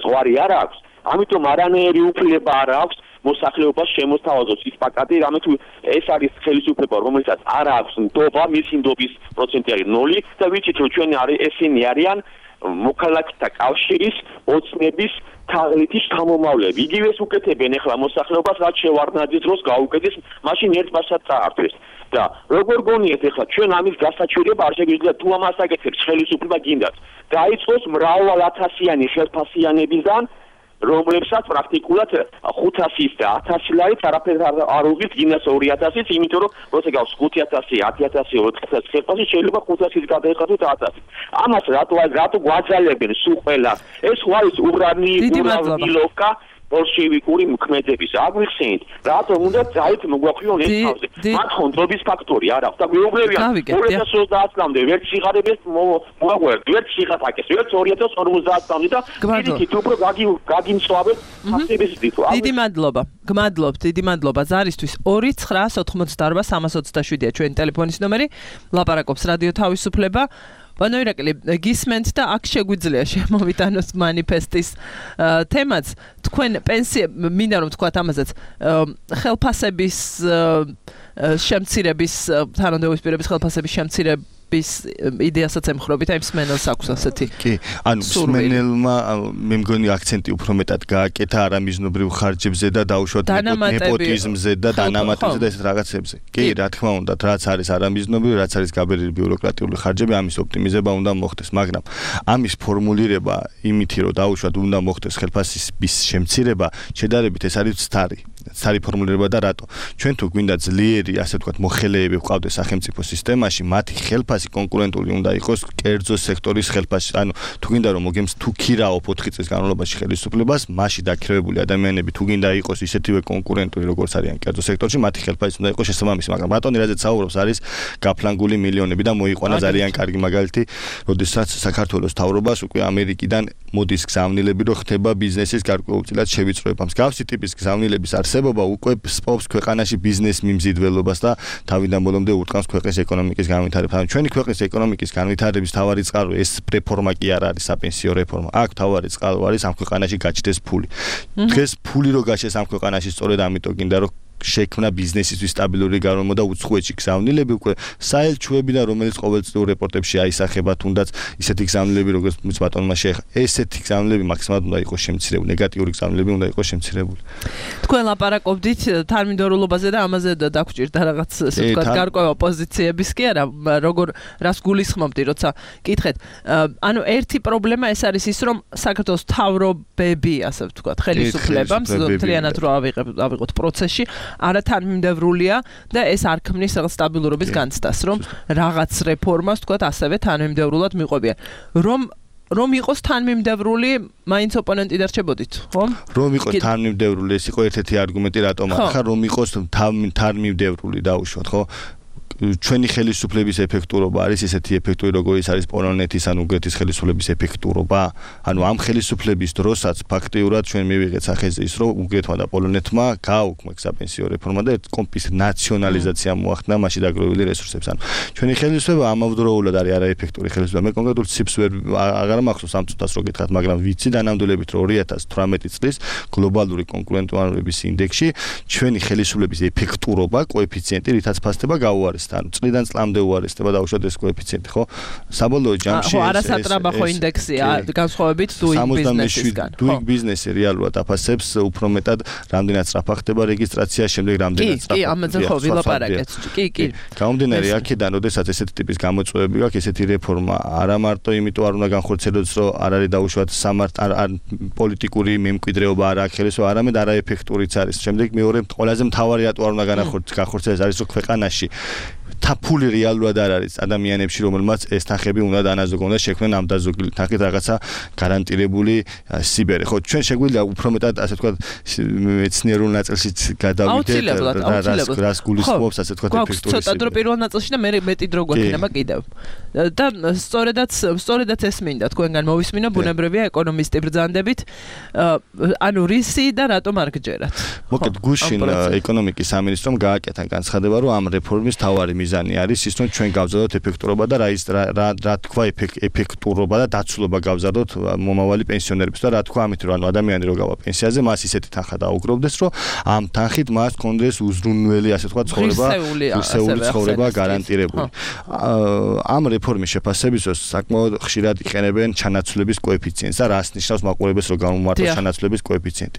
ზღვარი არ აქვს, ამიტომ არანაირი უფლება არ აქვს მოსახლეობას შემოსთავაზოს ის პაკეტი, რამე თუ ეს არის ხელისუფლება, რომელსაც არ აქვს ნდობა, მისი ნდობის პროცენტი არის ნული და ვიცით რომ ჩვენ ესენი არიან მოქალაქეთა კავშირის ოცნების თაღლითი შთამომავლები. იგივეს უკეთებენ ახლა მოსახლეობას, რაც შევარდნაძის დროს გაუკეთეს, მაშინ ერთ მასად წაართვეს. და როგორ გონიათ ახლა ჩვენ ამის გასაჩივრება არ შეგვიძლია თუ ამას აკეთებს ხელისუფლება გინდათ. დაიწყოს მრავალათასიანი ხელფასიანებიდან რომლებსაც პრაქტიკულად ხუთასის და ათასი ლარით არაფერს არ უღირს გინდას ორი ათასიც, იმიტომ რომ როცა გავს ხუთი ათასი, ათი ათასი, ოთხი ათასი ხელფასი შეიძლება ხუთასიც გადაიხადოთ ათასი. ამას რატო რატო გვაძალებენ სულ ყველა? ეს არის ურანი ურავნილოვკა ბოლშევიკური მოქმედების აგვიხსენით, რატომ უნდა ძალით მოგვახვიონ ეს თავზე. მათ ხონდრობის ფაქტორი არ აქვს და გვეუბნებიან ორი ათას ოცდაათ წლამდე ვერც სიღარიბეს მოაგვერდ, ვერც სიღატაკეს, ვერც ორი ათას ორმოცდაათ წლამდე და პირიქით უფრო გაგიმწვავეთ ფაქტების დითო. დიდი მადლობა. გმადლობთ, დიდი მადლობა ზარისთვის. ორი ცხრა ოცდაოთხ სამას ოცდაშვიდია ჩვენი ტელეფონის ნომერი. ლაპარაკობს რადიო თავისუფლება. ბატონო ირაკლი, გისმენთ და აქ შეგვიძლია შემოვიტანოს მანიფესტის თემაც. თქვენ პენსია მინდა რომ თქვათ ამაზეც ხელფასების შემცირების თანამდებობის პირების ხელფასების შემცირების იდეასაც ემხრობით, აი მსმენელს აქვს ასეთი. კი, ანუ მსმენელმა მე მგონი აქცენტი უფრო მეტად გააკეთა არამიზნობრივ ხარჯებზე და დაუშვათ ნეპოტიზმზე და დანამატებზე და ესეთ რაღაცებზე. კი, რა თქმა უნდა, რაც არის არამიზნობრივ, რაც არის გაბერილი ბიუროკრატიული ხარჯები, ამის ოპტიმიზება უნდა მოხდეს, მაგრამ ამის ფორმულირება იმითი, რომ დაუშვათ უნდა მოხდეს ხელფასის შემცირება, შედარებით ეს არის ცდარი. ცარი ფორმულირება და რატო? ჩვენ თუ გვინდა ძლიერი, ასე ვთქვათ, მოხელეები ვყავდეს სახელმწიფო სისტემაში, მათი ხელფასი კონკურენტული უნდა იყოს კერძო სექტორის ხელფასი. ანუ თუ გინდა რომ მოგემს თუ ქირაობ ოთხი წლის განმავლობაში ხელისუფლებას, მასში დაქირავებული ადამიანები თუ გინდა იყოს ისეთივე კონკურენტული, როგორც არიან კერძო სექტორში, მათი ხელფასი უნდა იყოს შესაბამისი, მაგრამ ბატონი რაზეც საუბრობს არის გაფლანგული მილიონები და მოიყვანა ძალიან კარგი მაგალითი, როდესაც საქართველოს მთავრობას უკვე ამერიკიდან მოდის გზავნილები, რომ ხდება ბიზნესის გარკვეულწილად შევიწროება. მსგავსი ტიპის გზავნილების არსებობა უკვე სპობს ქვეყანაში ბიზნეს მიმზიდველობას და თავიდან ბოლომდე ურტყამს ქვეყნის ეკონომიკის განვითარებას. ანუ ჩვენი ქვეყნის ეკონომიკის განვითარების თავარი წყარო ეს რეფორმა კი არ არის საპენსიო რეფორმა. აქ თავარი წყარო არის ამ ქვეყანაში გაჩნდეს ფული. დღეს ფული რო გაჩნდეს ამ ქვეყანაში სწორედ ამიტომ გინდა რომ შექმნა ბიზნესისთვის სტაბილური გარემო და უცხოეთში გზავნილები უკვე საელჩოებიდან რომელიც ყოველწლიურ რეპორტებში აისახება თუნდაც ისეთი გზავნილები როგორც ბატონმა შეეხა ესეთი გზავნილები მაქსიმალურად უნდა იყოს შემცირებული ნეგატიური გზავნილები უნდა იყოს შემცირებული თქვენ ლაპარაკობდით თანმიმდევრულობაზე და ამაზე დაგჭირდა რაღაც ესე ვთქვათ გარკვევა პოზიციების კი არა როგორ რას გულისხმობდი როცა კითხეთ ანუ ერთი პრობლემა ეს არის ის რომ საქართველოს მთავრობები ასე ვთქვათ ხელისუფლებამ მთლიანად რო ავიღოთ პროცესში არა თანმიმდევრულია და ეს არ ქმნის რაღაც სტაბილურობის განცდას რომ რაღაც რეფორმას ვთქვათ ასევე თანმიმდევრულად მიყვებიან რომ რომ იყოს თანმიმდევრული მაინც ოპონენტი დარჩებოდით ხო რომ იყოს თანმიმდევრული ეს იყო ერთ-ერთი არგუმენტი რატომ ახლა რომ იყოს თანმიმდევრული დაუშვათ ხო ჩვენი ხელისუფლების ეფექტურობა არის ესეთი ეფექტური როგორიც არის პოლონეთის ან უნგრეთის ხელისუფლების ეფექტურობა ანუ ამ ხელისუფლების დროსაც ფაქტიურად ჩვენ მივიღეთ სახეზე ის რომ უნგრეთმა და პოლონეთმა გააუქმა საპენსიო რეფორმა და კომპის ნაციონალიზაცია მოახდინა მასში დაგროვილი რესურსებს ანუ ჩვენი ხელისუფლება ამავდროულად არის არაეფექტური ხელისუფლება მე კონკრეტულ ციფრს ვერ აღარ მახსოვს ამ წუთას რო გითხრათ მაგრამ ვიცი დანამდვილებით რომ ორი ათას თვრამეტი წლის გლობალური კონკურენტუარობის ინდექსში ჩვენი ხელისუფლების ეფექტურობა კოეფიციენტი რითაც ფასდება გაუარესდა ანუ წლიდან წლამდე უარესდება დაუშვათ ეს კოეფიციენტი ხო საბოლოო ჯამში ხო არასატრაბახო ინდექსია განსხვავებით doing business-ისგან doing business-ი რეალურად აფასებს უფრო მეტად რამდენად სწრაფად ხდება რეგისტრაცია შემდეგ რამდენად სწრაფად კი კი ამაზე ხო ვილაპარაკეთ კი კი გამომდინარე აქედან როდესაც ესეთი ტიპის გამოწვევები გაქვს ესეთი რეფორმა არა მარტო იმიტომ არ უნდა განხორციელდეს რომ არ არის დაუშვათ სამართ არ პოლიტიკური მემკვიდრეობა არ აქვს ხელისუფლება არამედ არაეფექტურიც არის შემდეგ მეორე ყველაზე მთავარი რატო არ უნდა განახორციელდეს არის რომ ქვეყანაში თაფული რეალურად არ არის ადამიანებში რომელმაც ეს თანხები უნდა დანაზოგონ და შექმნან ამ დაზოგილი თანხით რაღაცა გარანტირებული სიბერე ხო ჩვენ შეგვიძლია უფრო მეტად ასე ვთქვათ მეცნიერულ ნაწილშიც გადავიდეთ რას გულისხმობს ასე ვთქვათ ეფექტური ცოტა დრო პირველ ნაწილში და მე მეტი დრო გვექნება კიდევ და სწორედაც სწორედაც ეს მინდა თქვენგან მოვისმინო ბუნებრივია ეკონომისტი ბრძანდებით ანუ რისი და რატომ არ გჯერათ მოკეთ გუშინ ეკონომიკის სამინისტრომ გააკეთა განცხადება რომ ამ რეფორმის თავარი მიზანი არის ის რომ ჩვენ გავზარდოთ ეფექტურობა და რა ის რა რა თქვა ეფექტურობა და დაცულობა გავზარდოთ მომავალი პენსიონერებს და რა თქვა ამით რომ ანუ ადამიანი რო გავა პენსიაზე მას ისეთი თანხა დაუგროვდეს რომ ამ თანხით მას კონდეს უზრუნველი ასე თქვა ცხოვრება ისეული ცხოვრება გარანტირებული ამ რეფორმის შეფასებისას საკმაოდ ხშირად იყენებენ ჩანაცვლების კოეფიციენტს და რას ნიშნავს მაყურებელს რომ გამომართოს ჩანაცვლების კოეფიციენტი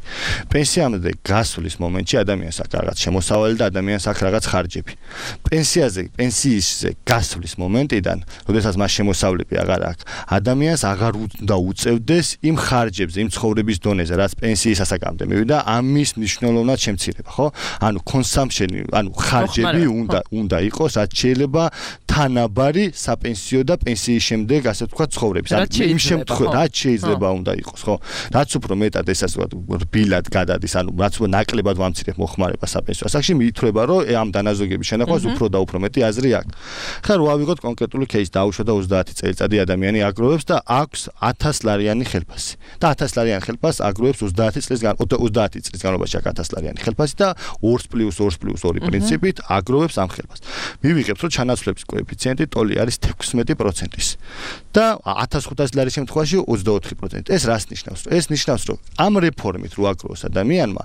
პენსიამდე გასვლის მომენტში ადამიანს აქვს რაღაც შემოსავალი და ადამიანს აქვს რაღაც ხარჯები პენსიაზე პენსიისზე გასვლის მომენტიდან როდესაც მას შემოსავლები აღარ აქვს ადამიანს აღარ უნდა უწევდეს იმ ხარჯებზე იმ ცხოვრების დონეზე რაც პენსიის ასაკამდე მივიდა ამის მნიშვნელოვნად შემცირება ხო ანუ კონსამპშენი ანუ ხარჯები უნდა უნდა იყოს რაც შეიძლება თანაბარი საპენსიო და პენსიის შემდეგ ასე ვთქვათ ცხოვრების იმ შემთხვევაში რაც შეიძლება უნდა იყოს ხო რაც უფრო მეტად ესას ვთქვათ რბილად გადადის ანუ რაც უფრო ნაკლებად ვამცირებ მოხმარება საპენსიო ასაკში მიითვლება რომ ამ დანაზოგების შენახვას უფრო და უფრო მეტი აზრი აქვს ხა რო ავიღოთ კონკრეტული кейს დაუშვა და ოცდაათი წელიწადი ადამიანი აგროვებს და აქვს ათას ლარიანი ხელფასი და ათას ლარიანი ხელფასს აგროვებს ოცდაათი წლის ოცდაათი წლის განმავლობაში აქვს ათას ლარიანი ხელფასი და ორს პლუს ორს პლუს ორი პრინციპით აგროვებს ამ ხელფასს მივიღებთ რომ ჩანაცვლების კოეფიციენტი ტოლი არის თექვსმეტი პროცენტის და ათას ხუთასი ლარის შემთხვევაში ოცდაოთხი პროცენტი ეს რას ნიშნავს ეს ნიშნავს რომ ამ რეფორმით რო აგროვოს ადამიანმა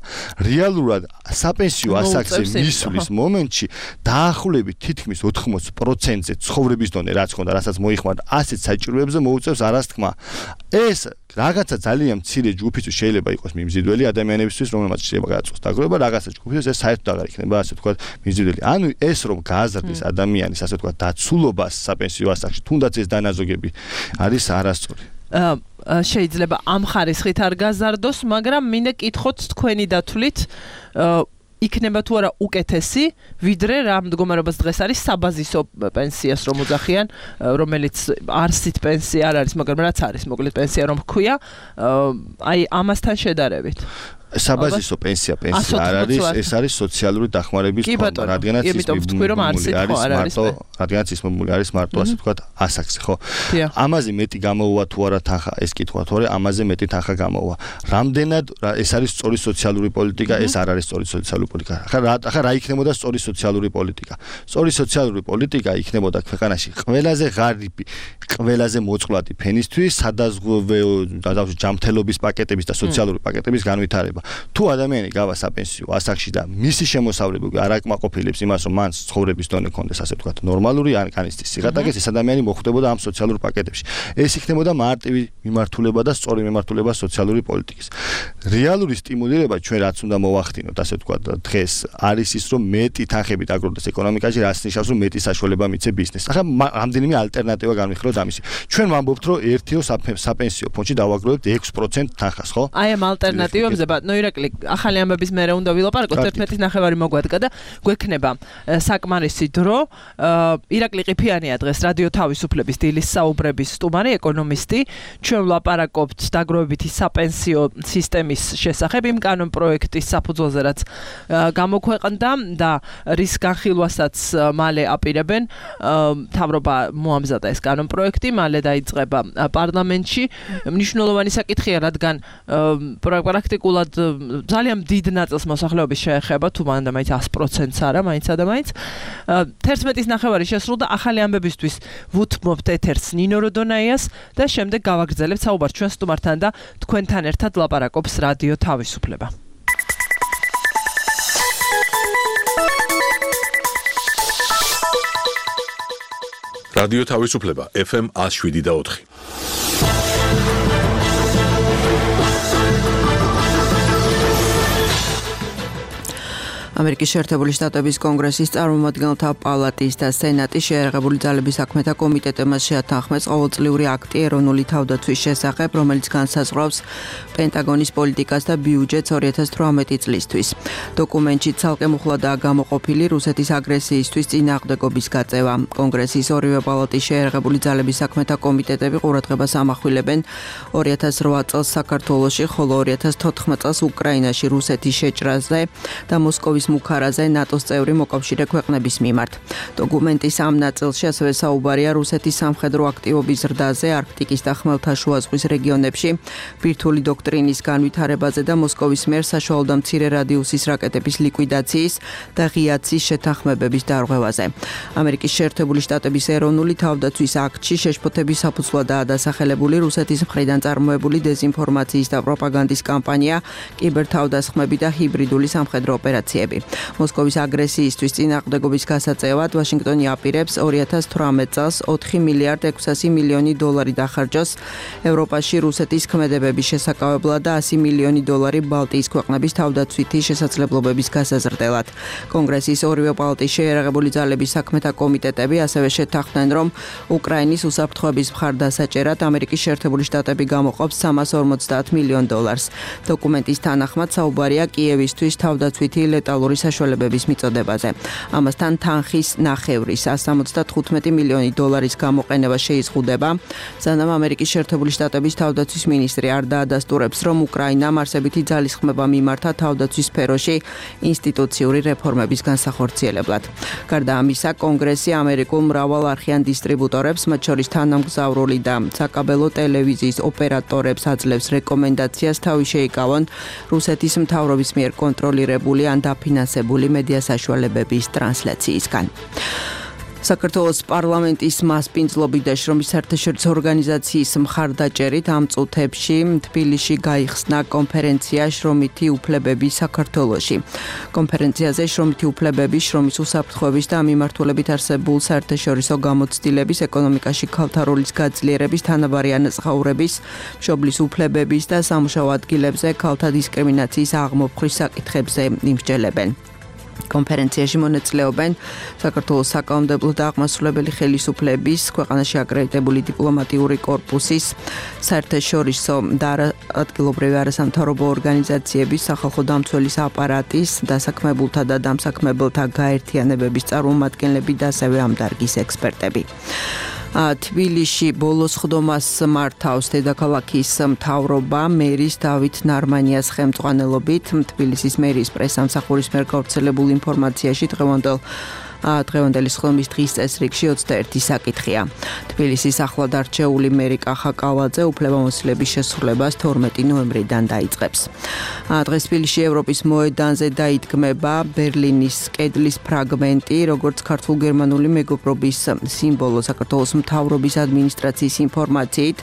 რეალურად საპენსიო ასაკზე მისვლის მომენტში დაახლოებით თითქმის ოთხმოცი პროცენტზე ცხოვრების დონე რაც ხონდა რასაც მოიხმარდა ასეთ საჭიროებზე მოუწევს არასთქმა ეს რაღაცა ძალიან მცირე ჯგუფისთვის შეიძლება იყოს მიმზიდველი ადამიანებისთვის რომელმაც შეიძლება გადაწყვეტს დაგროვება რაღაცა ჯგუფისთვის ეს საერთოდ აღარ იქნება ასე ვთქვათ მიმზიდველი ანუ ეს რომ გააზრდეს ადამიანის ასე ვთქვათ დაცულობას საპენსიო ასაკში თუნდაც ეს დანაზოგები არის არასწორი შეიძლება ამ ხარისხით არ გაზარდოს მაგრამ მინდა კითხოთ თქვენი დათვლით იქნება თუ არა უკეთესი ვიდრე რა მდგომარეობას დღეს არის საბაზისო პენსიას რომ უძახიან რომელიც არსით პენსია არ არის მაგრამ რაც არის მოკლედ პენსია რომ ჰქვია აი ამასთან შედარებით საბაზისო პენსია პენსია არ არის ეს არის სოციალური დახმარების ფონდი რადგანაც ის მარტო რადგანაც ის მომული არის მარტო ასე ვთქვათ ასაკზე ხო ამაზე მეტი გამოვა თუ არა თანხა ეს კითხვა თუ არა ამაზე მეტი თანხა გამოვა რამდენად ეს არის სწორი სოციალური პოლიტიკა ეს არ არის სწორი სოციალური პოლიტიკა ახლა ახლა რა იქნებოდა სწორი სოციალური პოლიტიკა სწორი სოციალური პოლიტიკა იქნებოდა ქვეყანაში ყველაზე ღარიბი ყველაზე მოწყვლადი ფენისთვის სადაზღვევო ჯამთელობის პაკეტების და სოციალური პაკეტების განვითარება შეიძლება. თუ ადამიანი გავა საპენსიო ასაკში და მისი შემოსავლები არ აკმაყოფილებს იმას, რომ მან ცხოვრების დონე ქონდეს, ასე ვთქვათ, ნორმალური ან კანისტის სიღატაკეს, ეს ადამიანი მოხვდებოდა ამ სოციალურ პაკეტებში. ეს იქნებოდა მარტივი მიმართულება და სწორი მიმართულება სოციალური პოლიტიკის. რეალური სტიმულირება ჩვენ რაც უნდა მოვახდინოთ, ასე ვთქვათ, დღეს არის ის, რომ მეტი თანხებით აგროვდეს ეკონომიკაში, რაც ნიშნავს, რომ მეტი საშუალება მიცე ბიზნესს. ახლა რამდენიმე ალტერნატივა განვიხილოთ ამისი. ჩვენ ვამბობთ, რომ ერთიო საპენსიო ფონდში დავაგროვებთ ექვს პროცენტ თანხას, ხო? აი ამ ალტერნატივებზე, ბატონო ირაკლი, ახალი ამბების მერე უნდა ვილაპარაკოთ, ერთმეტის ნახევარი მოგვადგა და გვექნება საკმარისი დრო. ირაკლი ყიფიანია დღეს რადიო თავისუფლების დილის საუბრების სტუმარი, ეკონომისტი. ჩვენ ვლაპარაკობთ დაგროვებითი საპენსიო სისტემის შესახებ, იმ კანონ პროექტის საფუძველზე, რაც გამოქვეყნდა და რის განხილვასაც მალე აპირებენ. მთავრობა მოამზადა ეს კანონ პროექტი, მალე დაიწყება პარლამენტში. მნიშვნელოვანი საკითხია, რადგან პრაქტიკულად ძალიან დიდ ნაწილს მოსახლეობის შეეხება, თუ მანდა მაინც ას პროცენტს არა, მაინც და მაინც. თერთმეტის ნახევარი შესრულდა, ახალი ამბებისთვის ვუთმობთ ეთერს ნინო როდონაიას და შემდეგ გავაგრძელებთ საუბარს ჩვენ სტუმართან და თქვენთან ერთად ლაპარაკობს რადიო თავისუფლება. რადიო თავისუფლება ეფ ემ ას შვიდი და ოთხი. ამერიკის შეერთებული შტატების კონგრესის წარმომადგენელთა პალატის და სენატის შეერაღებული ძალების საქმეთა კომიტეტებმა შეათანხმეს ყოველწლიური აქტი ეროვნული თავდაცვის შესახებ, რომელიც განსაზღვრავს პენტაგონის პოლიტიკას და ბიუჯეტს ორი ათას თვრამეტი წლისთვის. დოკუმენტში ცალკე მუხლადაა გამოყოფილი რუსეთის აგრესიისთვის წინააღმდეგობის გაწევა. კონგრესის ორივე პალატის შეერაღებული ძალების საქმეთა კომიტეტები ყურადღებას ამახვილებენ ორი ათას რვა წელს საქართველოში, ხოლო ორი ათას თოთხმეტ წელს უკრაინაში რუსეთის შეჭრაზე და მოსკოვის მუქარაზე ნატოს წევრი მოკავშირე ქვეყნების მიმართ. დოკუმენტის ამ ნაწილში ასევე საუბარია რუსეთის სამხედრო აქტივობის ზრდაზე არქტიკის და ხმელთაშუა ზღვის რეგიონებში, ბირთვული დოქტრინის განვითარებაზე და მოსკოვის მიერ საშუალო და მცირე რადიუსის რაკეტების ლიკვიდაციის და ღიაცის შეთანხმებების დარღვევაზე. ამერიკის შეერთებული შტატების ეროვნული თავდაცვის აქტში შეშფოთების საფუძვლადაა დასახელებული რუსეთის მხრიდან წარმოებული დეზინფორმაციის და პროპაგანდის კამპანია, კიბერთავდასხმები და ჰიბრიდული სამხედრო ოპერაციები. მოსკოვის აგრესიისთვის წინააღმდეგობის გასაწევად ვაშინგტონი აპირებს ორი ათას თვრამეტ წელს ოთხი მილიარდ ექვსასი მილიონი დოლარი დახარჯოს ევროპაში რუსეთის ქმედებების შესაკავებლად და ასი მილიონი დოლარი ბალტიის ქვეყნების თავდაცვითი შესაძლებლობების გასაზრდელად. კონგრესის ორივე პალატის შეერაღებული ძალების საქმეთა კომიტეტები ასევე შეთანხმდნენ, რომ უკრაინის უსაფრთხოების მხარდასაჭერად ამერიკის შეერთებული შტატები გამოყოფს სამას ორმოცდაათ მილიონ დოლარს. დოკუმენტის თანახმად საუბარია კიევისთვის თავდაცვითი ლეტალური საშუალებების მიწოდებაზე. ამასთან თანხის ნახევრის ასი და ოცდათხუთმეტი მილიონი დოლარის გამოყენება შეიზღუდება, სანამ ამერიკის შეერთებული შტატების თავდაცვის მინისტრი არ დაადასტურებს, რომ უკრაინამ არსებითი ძალისხმევა მიმართა თავდაცვის სფეროში ინსტიტუციური რეფორმების განსახორციელებლად. გარდა ამისა, კონგრესი ამერიკულ მრავალარხიან დისტრიბუტორებს, მათ შორის თანამგზავრული და საკაბელო ტელევიზიის ოპერატორებს აძლევს რეკომენდაციას თავი შეიკავონ რუსეთის მთავრობის მიერ კონტროლირებული ან დაფინანსებული მედია საშუალებების ტრანსლაციისგან. საქართველოს პარლამენტის მასპინძლობით და შრომის საერთაშორისო ორგანიზაციის მხარდაჭერით ამ წუთებში თბილისში გაიხსნა კონფერენცია შრომითი უფლებები საქართველოში. კონფერენციაზე შრომითი უფლებები, შრომის უსაფრთხოების და ამ მიმართულებით არსებულ საერთაშორისო გამოცდილების, ეკონომიკაში ქალთა როლის გაძლიერების, თანაბარი ანაზღაურების, მშობლის უფლებების და სამუშაო ადგილებზე ქალთა დისკრიმინაციის აღმოფხრის საკითხებზე იმსჯელებენ. კონფერენციაში მონაწილეობენ საქართველოს საკანონმდებლო და აღმასრულებელი ხელისუფლების, ქვეყანაში აკრედიტებული დიპლომატიური კორპუსის, საერთაშორისო და ადგილობრივი არასამთავრობო ორგანიზაციების, სახალხო დამცველის აპარატის, დასაქმებულთა და დამსაქმებელთა გაერთიანებების წარმომადგენლები და ასევე ამ დარგის ექსპერტები. თბილისში ბოლოს ხდომას მართავს დედაქალაქის მთავრობა მერის დავით ნარმანიას ხელმძღვანელობით. თბილისის მერის პრესამსახურის მიერ გავრცელებულ ინფორმაციაში დღევანდელ დღევანდელი ხდომის დღის წესრიგში ოცდაერთი საკითხია. თბილისის ახლად არჩეული მერი კახა კავალაძე უფლებამოსილების შესრულებას თორმეტი ნოემბრიდან დაიწყებს. დღეს თბილისში ევროპის მოედანზე დაიდგმება ბერლინის კედლის ფრაგმენტი, როგორც ქართულ-გერმანული მეგობრობის სიმბოლო. საქართველოს მთავრობის ადმინისტრაციის ინფორმაციით,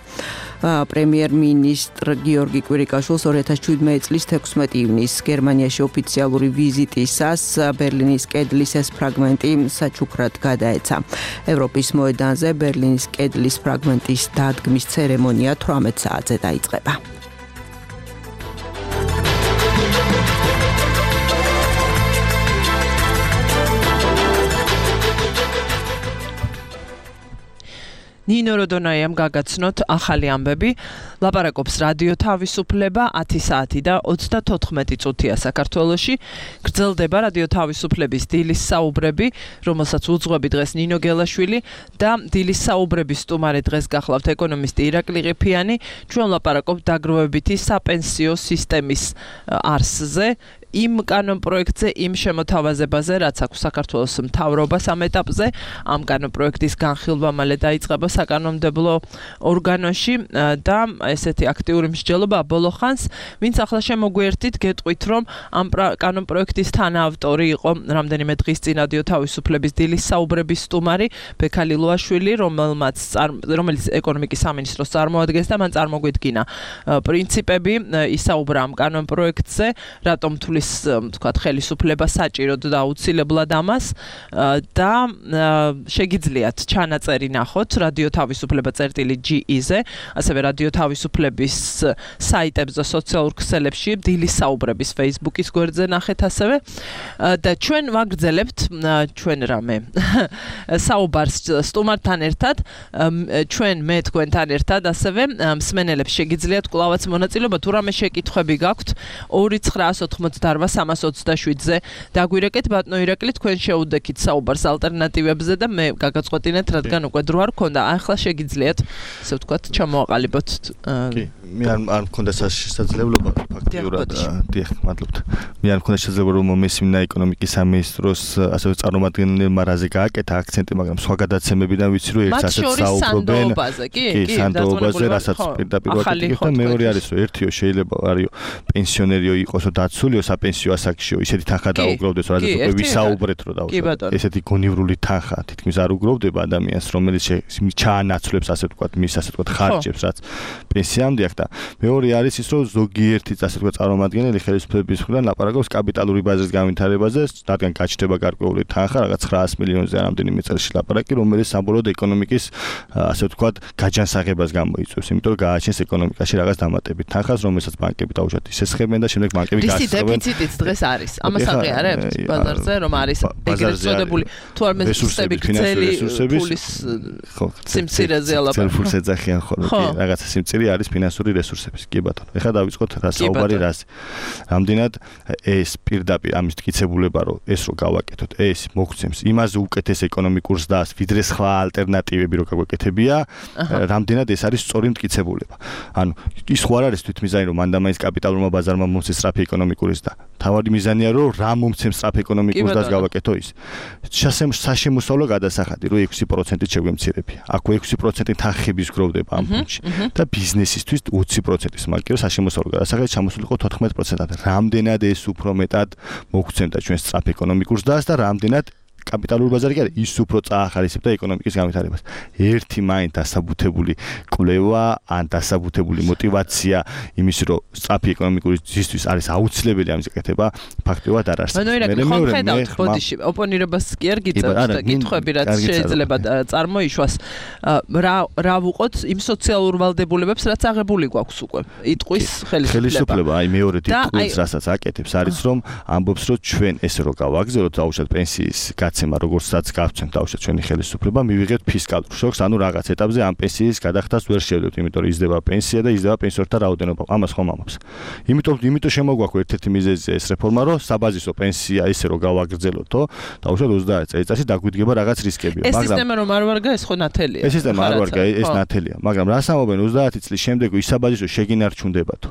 პრემიერ-მინისტრ გიორგი კვირიკაშვილს ორი ათას შვიდმეტი წლის თექვსმეტი ივნისს გერმანიაში ოფიციალური ვიზიტისას ბერლინის კედლის ეს ფრაგმენტი საჩუქრად გადაეცა. ევროპის მოედანზე ბერლინის კედლის ფრაგმენტის დადგმის ცერემონია თვრამეტ საათზე დაიწყება. ნინო როდონაიამ გაგაცნოთ ახალი ამბები, ლაპარაკობს რადიო თავისუფლება ათი საათი და ოცდათოთხმეტი წუთია საქართველოში. გრძელდება რადიო თავისუფლების დილის საუბრები, რომელსაც უძღვები დღეს ნინო გელაშვილი და დილის საუბრების სტუმარი დღეს გახლავთ ეკონომისტი ირაკლი ყიფიანი. ჩვენ ლაპარაკობთ დაგროვებითი საპენსიო სისტემის არსზე. იმ კანონპროექტზე, იმ შემოთავაზებაზე, რაც აქვს საქართველოს მთავრობას ამ ეტაპზე, ამ კანონპროექტის განხილვა მალე დაიწყება საკანონმდებლო ორგანოში და ესეთი აქტიური მსჯელობა ბოლო ხანს, ვინც ახლა შემოგვიერთით, გეტყვით, რომ ამ კანონპროექტის თანაავტორი იყო რამდენიმე დღის წინ რადიო თავისუფლების დილის საუბრების სტუმარი ბექა ლილუაშვილი, რომელმაც რომელიც ეკონომიკის სამინისტროს წარმოადგენს და მან წარმოგვიდგინა პრინციპები, ისაუბრა ამ კანონპროექტზე, რატომ თulis თქვათ ხელისუფლება საჭიროდ და აუცილებლად ამას და შეგიძლიათ ჩანაწერი ნახოთ რადიო თავისუფლება წერტილი ჯი ი-ზე, ასევე რადიო თავისუფლების საიტებზე, სოციალურ ქსელებში, დილის საუბრების Facebook-ის გვერდზე ნახეთ ასევე და ჩვენ ვაგრძელებთ ჩვენ რამე საუბარს სტუმართან ერთად, ჩვენ მე თქვენთან ერთად ასევე მსმენელებს შეგიძლიათ კვლავაც მონაწილეობა, თუ რამე შეკითხვები გაქვთ ორი ცხრაას ოთხმოცდაარბა სამას ოცდაშვიდზე დაგვირეკეთ ბატონო ირაკლი, თქვენ შეუდექით საუბარს ალტერნატივებზე და მე გაგაწყვეტინეთ, რადგან უკვე დრო არ გქონდა. ახლა შეგიძლიათ, ასე ვთქვათ, ჩამოაყალიბოთ. კი, მე არ მქონდა შესაძლებლობა ფაქტიურად, დიახ, მადლობთ. მე არ მქონდა შესაძლებლობა რომ მესმინა ეკონომიკის სამინისტროს ასევე წარმომადგენელმა რაზე გააკეთა აქცენტი, მაგრამ სხვა გადაცემებიდან ვიცი რომ ერთ ასეთ საუბრობენ. კი, კი, სანდოობაზე, რასაც პირდაპირ ვაკეთებ და მეორე არის რომ ერთიო შეიძლება არისო პენსიონერიო იყოსო დაცულიო საპენსიო ასაკშიო, ისეთი თანხა დაუგროვდეს, რადგან უკვე ვისაუბრეთ რომ დაუშვათ. ესეთი გონივრული თანხა თითქმის არ უგროვდება ადამიანს, რომელიც ჩაანაცვლებს ასე ვთქვათ, მის ასე ვთქვათ ხარჯებს, რაც პენსიამდე აქვს და მეორე არის ის, რომ ზოგიერთი ასე ვთქვათ წარმომადგენელი ხელისუფლების მხრიდან ლაპარაკობს კაპიტალური ბაზრის განვითარებაზე, რადგან გაჩნდება გარკვეული თანხა, რაღაც ცხრაას მილიონზე რამდენიმე წელში ლაპარაკი, რომელიც საბოლოოდ ეკონომიკის ასე ვთქვათ გაჯანსაღებას გამოიწვევს, იმიტომ რომ გააჩენს ეკონომიკაში რაღაც დამატებით თანხას, რომელსაც ბანკები დაუშვათ ისესხებენ და შემდეგ ბანკები გასწრებენ. დეფიციტიც დღეს არის. ამას აღიარებთ ბაზარზე, რომ არის ეგრეთ წოდებული თუ არ მესწრები გრძელი ფულის სიმცირეზე ალაპარაკი. ცელფულს ეძახიან ხოლმე, კი, რაღაცა სიმცირე არის ფინანსური რესურსების. კი ბატონო. ეხლა დავიწყოთ რა საუბარი რაზე. რამდენად ეს პირდაპირ ამის მტკიცებულება რომ ეს რო გავაკეთოთ, ეს მოგცემს იმაზე უკეთეს ეკონომიკურ ზრდას, ვიდრე სხვა ალტერნატივები რო გაგვეკეთებია, რამდენად ეს არის სწორი მტკიცებულება. ანუ ის ხო არ არის თვითმიზანი რომ მანდამაის კაპიტალურმა ბაზარმა მომცეს სწრაფი ეკონომიკური ზრდა. თავარი მიზანია რომ რა მომცემს სწრაფ ეკონომიკურ ზრდას გავაკეთო ის. საშემოსავლო გადასახადი რო ექვსი პროცენტით შეგვემცირებია. აქ ექვსი პროცენტი თანხების გროვდება ამ ფონდში და ბიზნესისთვის ოცი პროცენტის მარკირო საშემოსავლო გადასახადი ჩამოსულიყო თოთხმეტ პროცენტად. რამდენად ეს უფრო მეტად მოგცემდა ჩვენ სწრაფ ეკონომიკურ ზრდას და რამდენად კაპიტალური ბაზარი კი არის ის უფრო წაახალისებდა ეკონომიკის განვითარებას. ერთი მაინც დასაბუთებული კვლევა ან დასაბუთებული мотиваცია იმის რომ სწრაფი ეკონომიკური ზრდისთვის არის აუცილებელი ამის გაკეთება ფაქტობრივად არ არსებობს. მე მე ხედავთ ბოდიში ოპონირებას კი არ გიწევთ და კითხვები რაც შეიძლება წარმოიშვას რა რა ვუყოთ იმ სოციალურ ვალდებულებებს რაც აღებული გვაქვს უკვე. იტყვის ხელისუფლება. ხელისუფლება აი მეორე ტიტულს რასაც აკეთებს არის რომ ამბობს რომ ჩვენ ესე რო გავაგზავნოთ დაუშვათ პენსიის გაცემა როგორცაც გავცემთ დაუშვათ ჩვენი ხელისუფლება მივიღებთ ფისკალურ შოკს, ანუ რაღაც ეტაპზე ამ პენსიის გადახდას ვერ შევდებთ, იმიტომ რომ იზრდება პენსია და იზრდება პენსიორთა რაოდენობა. ამას ხომ ამბობს. იმიტომ იმიტომ შემოგვაქვს ერთ-ერთი მიზეზია ეს რეფორმა, რომ საბაზისო პენსია ისე რომ გავაგრძელოთო, დაუშვათ ოცდაათი წელიწადში დაგვიდგება რაღაც რისკები. მაგრამ ეს სისტემა რომ არ ვარგა, ეს ხო ნათელია. ეს სისტემა არ ვარგა, ეს ნათელია, მაგრამ რას ამბობენ ოცდაათი წლის შემდეგ ის საბაზისო შეგინარჩუნდებათო.